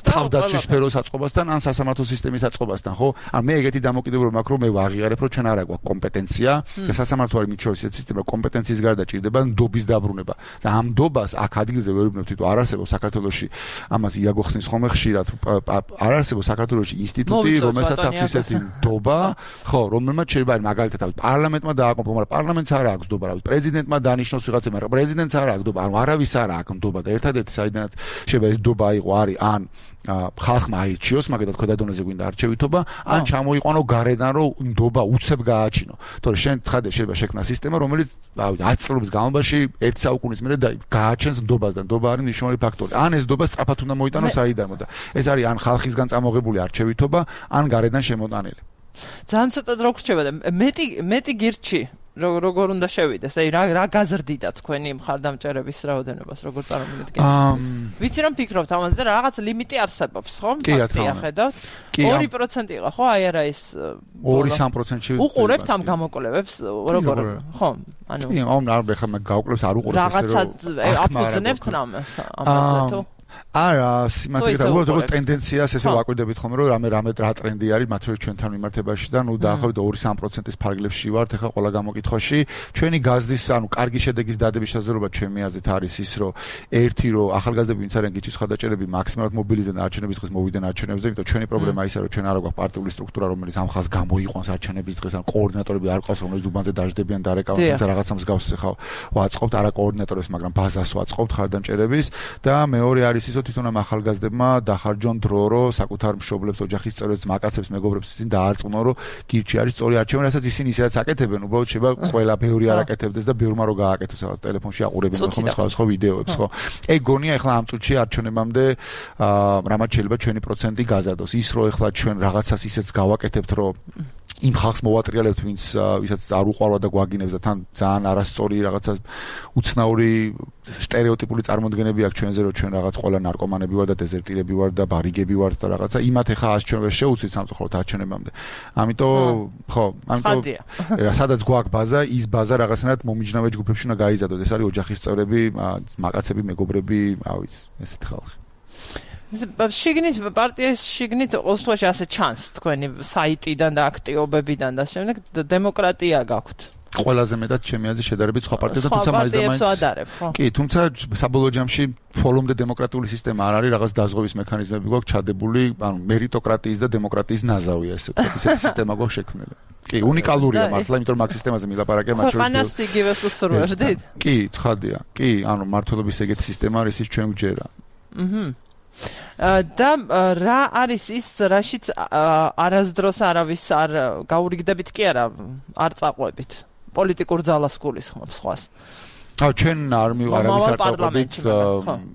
თავდაცვის სფეროს აწყობასთან ან სასამართლო სისტემის აწყობასთან ხო ან მე ეგეთი დამოკიდებულება მაქვს რომ მე ვაღიარებ რომ ჩვენ არ აქვს კომპეტენცია და სასამართლო არის მით შორის ისეთი სისტემა კომპეტენციის გარდა ჭირდება ნდობის დაბრუნება და ამ ნდობას აქ ადგილზე ვერ ვიბნებთ თვითონ არ არსებობს საქართველოში ამას იაგოხსნის ხოლმე ხშირად არ არსებობს საქართველოში ინსტიტუტი, რომელსაც აქვს ისეთი ნდობა, ხო, რომელმაც შეიძლება მაგალითად პარლამენტმა დააკომპლექტოს, მაგრამ პარლამენტს არ აქვს ნდობა, რავი, პრეზიდენტმა დანიშნოს ვიღაცა, მაგრამ პრეზიდენტს არ აქვს ნდობა, ანუ არავის არ აქვს ნდობა და ერთადერთი საიდანაც შეიძლება ეს ნდობა იყო არის ან ხალხმა აირჩიოს, მაგალითად ქვედადონეზე გვინდა არჩევითობა, ან ჩამოიყვანო გარედან რომ ნდობა უცებ გააჩინო. თორე შენ ცხადე შეიძლება შექმნა სისტემა, რომელიც 10 წლების განმავლობაში 1 საუკუნის მერე გააჩენს ნდობას და ნდობა არის მნიშვნელოვანი ფაქტორი. ან ეს ნდობა სწრაფად უნდა მოიტანოს საიდანო და ეს არის ან ხალხისგან წამოღებული არჩევითობა, ან გარედან შემოტანილი. ძალიან ცოტად რო გრჩება და მეტი გირჩი როგორ უნდა შევიდეს? აი რა გაზრდიდა თქვენი მხარდამჭერების რაოდენობას, როგორ წარმოვიდგენთ? ვიცი რომ ფიქრობთ ამაზე და რაღაც ლიმიტი არსებობს, ხო? ფაქტია ხედავთ. 2% იყო, ხო? აი არა ეს 2-3%-ში უყურებთ ამ გამოკვლევებს, როგორ? ხო, ანუ კი, არ ხა მაგ გავკვლევს არ უყურებთ ესე რომ რაღაცა აფუძნებთ ამაზე თუ არა, სიმართლე როგორც ტენდენციას ესე ვაკვირდებით ხოლმე რომ რამე რა ტრენდი არის მათ შორის ჩვენთან მიმართებაში და ნუ დაახლოებით 2-3%-ის ფარგლებში ვართ ახლა ყველა გამოკითხვაში. ჩვენი გაზდის, ანუ კარგი შედეგის დადების შესაძლებლობა ჩემი აზრით არის ის, რომ ერთი რომ ახალგაზრდები ვინც არიან გიჩის ხადაჭერები მაქსიმალურად მობილიზდნენ არჩევნების დღეს მოვიდნენ არჩევნებზე, იმიტომ ჩვენი პრობლემა ისაა რომ ჩვენ არ აქვს პარტიული სტრუქტურა რომელიც ამ ხალხს გამოიყვანს არჩევნების დღეს, ან კოორდინატორები არ ყავს რომელიც უბანზე დაждდებიან დარეკავენ, თუმცა რაღაცა მსგავსს ხავ ვაწყობთ არა კოორდინატორებს, მაგრამ ბაზას ვაწყობთ ხარდამჭერების და მეორე არის არის ისო თვითონ ამ ახალგაზრდებმა დახარჯონ დრო, რომ საკუთარ მშობლებს, ოჯახის წევრებს, მაკაცებს, მეგობრებს ისინი დაარწმუნონ, რომ გირჩი არის სწორი არჩევანი, რასაც ისინი ისედაც აკეთებენ, უბრალოდ შეიძლება ყველა ბევრი არ აკეთებდეს და ბევრმა რო გააკეთოს რაღაც ტელეფონში აყურებენ ხოლმე სხვა ვიდეოებს, ხო? ეგ გონია ეხლა ამ წუთში არჩევნებამდე რამაც შეიძლება ჩვენი პროცენტი გაზარდოს. ის რომ ეხლა ჩვენ რაღაცას ისეც გავაკეთებთ, რომ იმ ხალხს მოვატრიალებთ, ვისაც არ უყვარვა და გვაგინებს და თან ძალიან არასწორი რაღაცა უცნაური სტერეოტიპული წარმოდგენები აქვს ჩვენზე, რომ ჩვენ რაღაც ყველა ნარკომანები ვარ და დეზერტირები ვარ და ბარიგები ვარ და რაღაცა იმათ ეხა ას ჩვენ ვერ შეუცვით სამწუხაროდ არჩევნებამდე. ამიტომ ხო, სადაც გვაქვს ბაზა, ის ბაზა რაღაცნაირად მომიჯნავე ჯგუფებში უნდა გაიზარდოს. ეს არის ოჯახის წევრები, მაკაცები, მეგობრები, რა ვიცი, ესეთი ხალხი. შიგნით პარტიის შიგნით ოსლოში ასე ჩანს თქვენი საიტიდან და აქტიობებიდან და შემდეგ დემოკრატია გაქვთ. ყველაზე მეტად ჩემი აზრით შედარებით სხვა პარტიებთან, თუმცა მაინც კი, თუმცა საბოლოო ჯამში ფოლომდე დემოკრატიული სისტემა არ არის, რაღაც დაზღვევის მექანიზმები გვაქვს ჩადებული, ანუ მერიტოკრატიის და დემოკრატიის ნაზავია ესე ვთქვათ, ისეთი სისტემა გვაქვს შექმნილი. კი, უნიკალურია მართლა, იმიტომ რომ მაგ სისტემაზე მილაპარაკე მათ შორის. ხანას იგივეს უსურვებდით? კი, ცხადია. კი, ანუ მართლობის ეგეთი სისტემა არის, ის ჩვენ გვჯერა. და რა არის ის, რაშიც არასდროს არავის არ გაურიგდებით კი არა, არ წაყვებით პოლიტიკურ ძალას გულისხმობს სხვას. ჩვენ არავის არ წაყვებით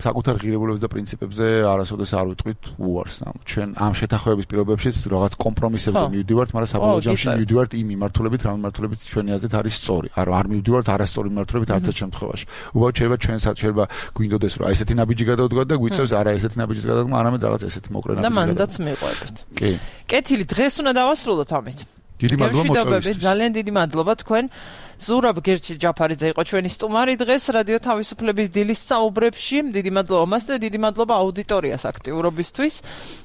საკუთარ ღირებულებებს და პრინციპებზე არასოდეს არ ვიტყვით უარს. ჩვენ ამ შეთანხმების პირობებშიც რაღაც კომპრომისებზე მივდივართ, მაგრამ საბოლოო ჯამში მივდივართ იმ მიმართულებით, რა მიმართულებით ჩვენი აზრით არის სწორი. არ მივდივართ არასწორი მიმართულებით არც ერთ შემთხვევაში. უბრალოდ შეიძლება გვინდოდეს რომ აი ესეთი ნაბიჯი გადავდგათ და გვიწევს არა ესეთი ნაბიჯის გადადგმა, არამედ რაღაც ესეთი მოკლე ნაბიჯი. და მანდაც მიყვებით. კი. კეთილი, დღეს უნდა დავასრულოთ ამით. დიდი მადლობა მოწვევისთვის. ძალიან დიდი მადლობა თქვენ. ზურაბ გერჩი ჯაფარიძე იყო ჩვენი სტუმარი დღეს რადიო თავისუფლების დილის საუბრებში. დიდი მადლობა მას და დიდი მადლობა აუდიტორიას აქტიურობისთვის.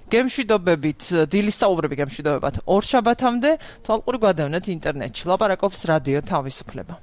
გემშვიდობებით, დილის საუბრები გემშვიდობებათ ორშაბათამდე. თვალყური გვადევნეთ ინტერნეტში. ლაპარაკობს რადიო თავისუფლება.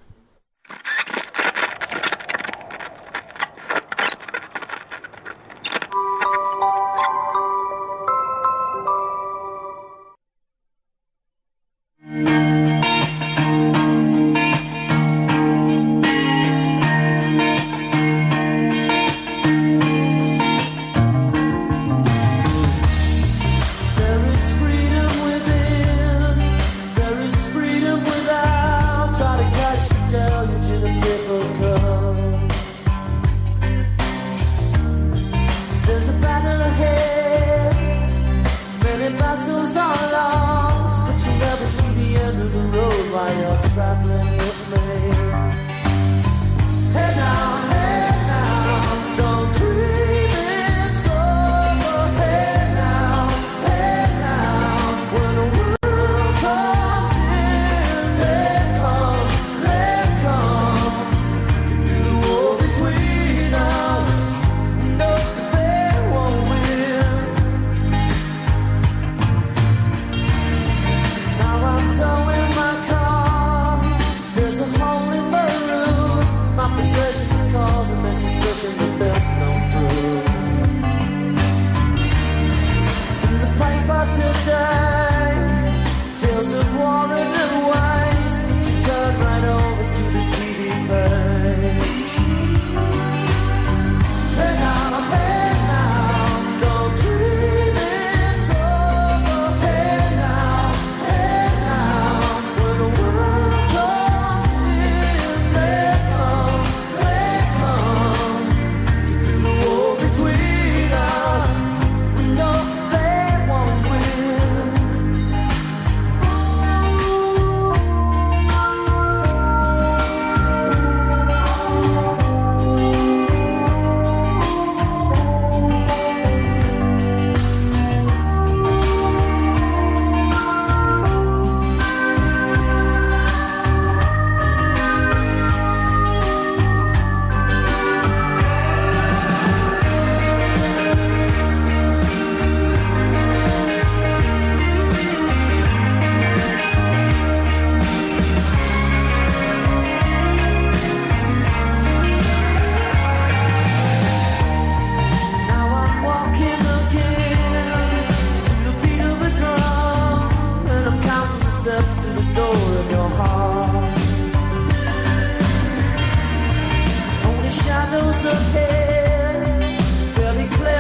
Shadows of hair, barely clear.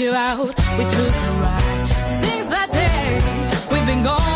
You out, we took a ride. Since that day, we've been going.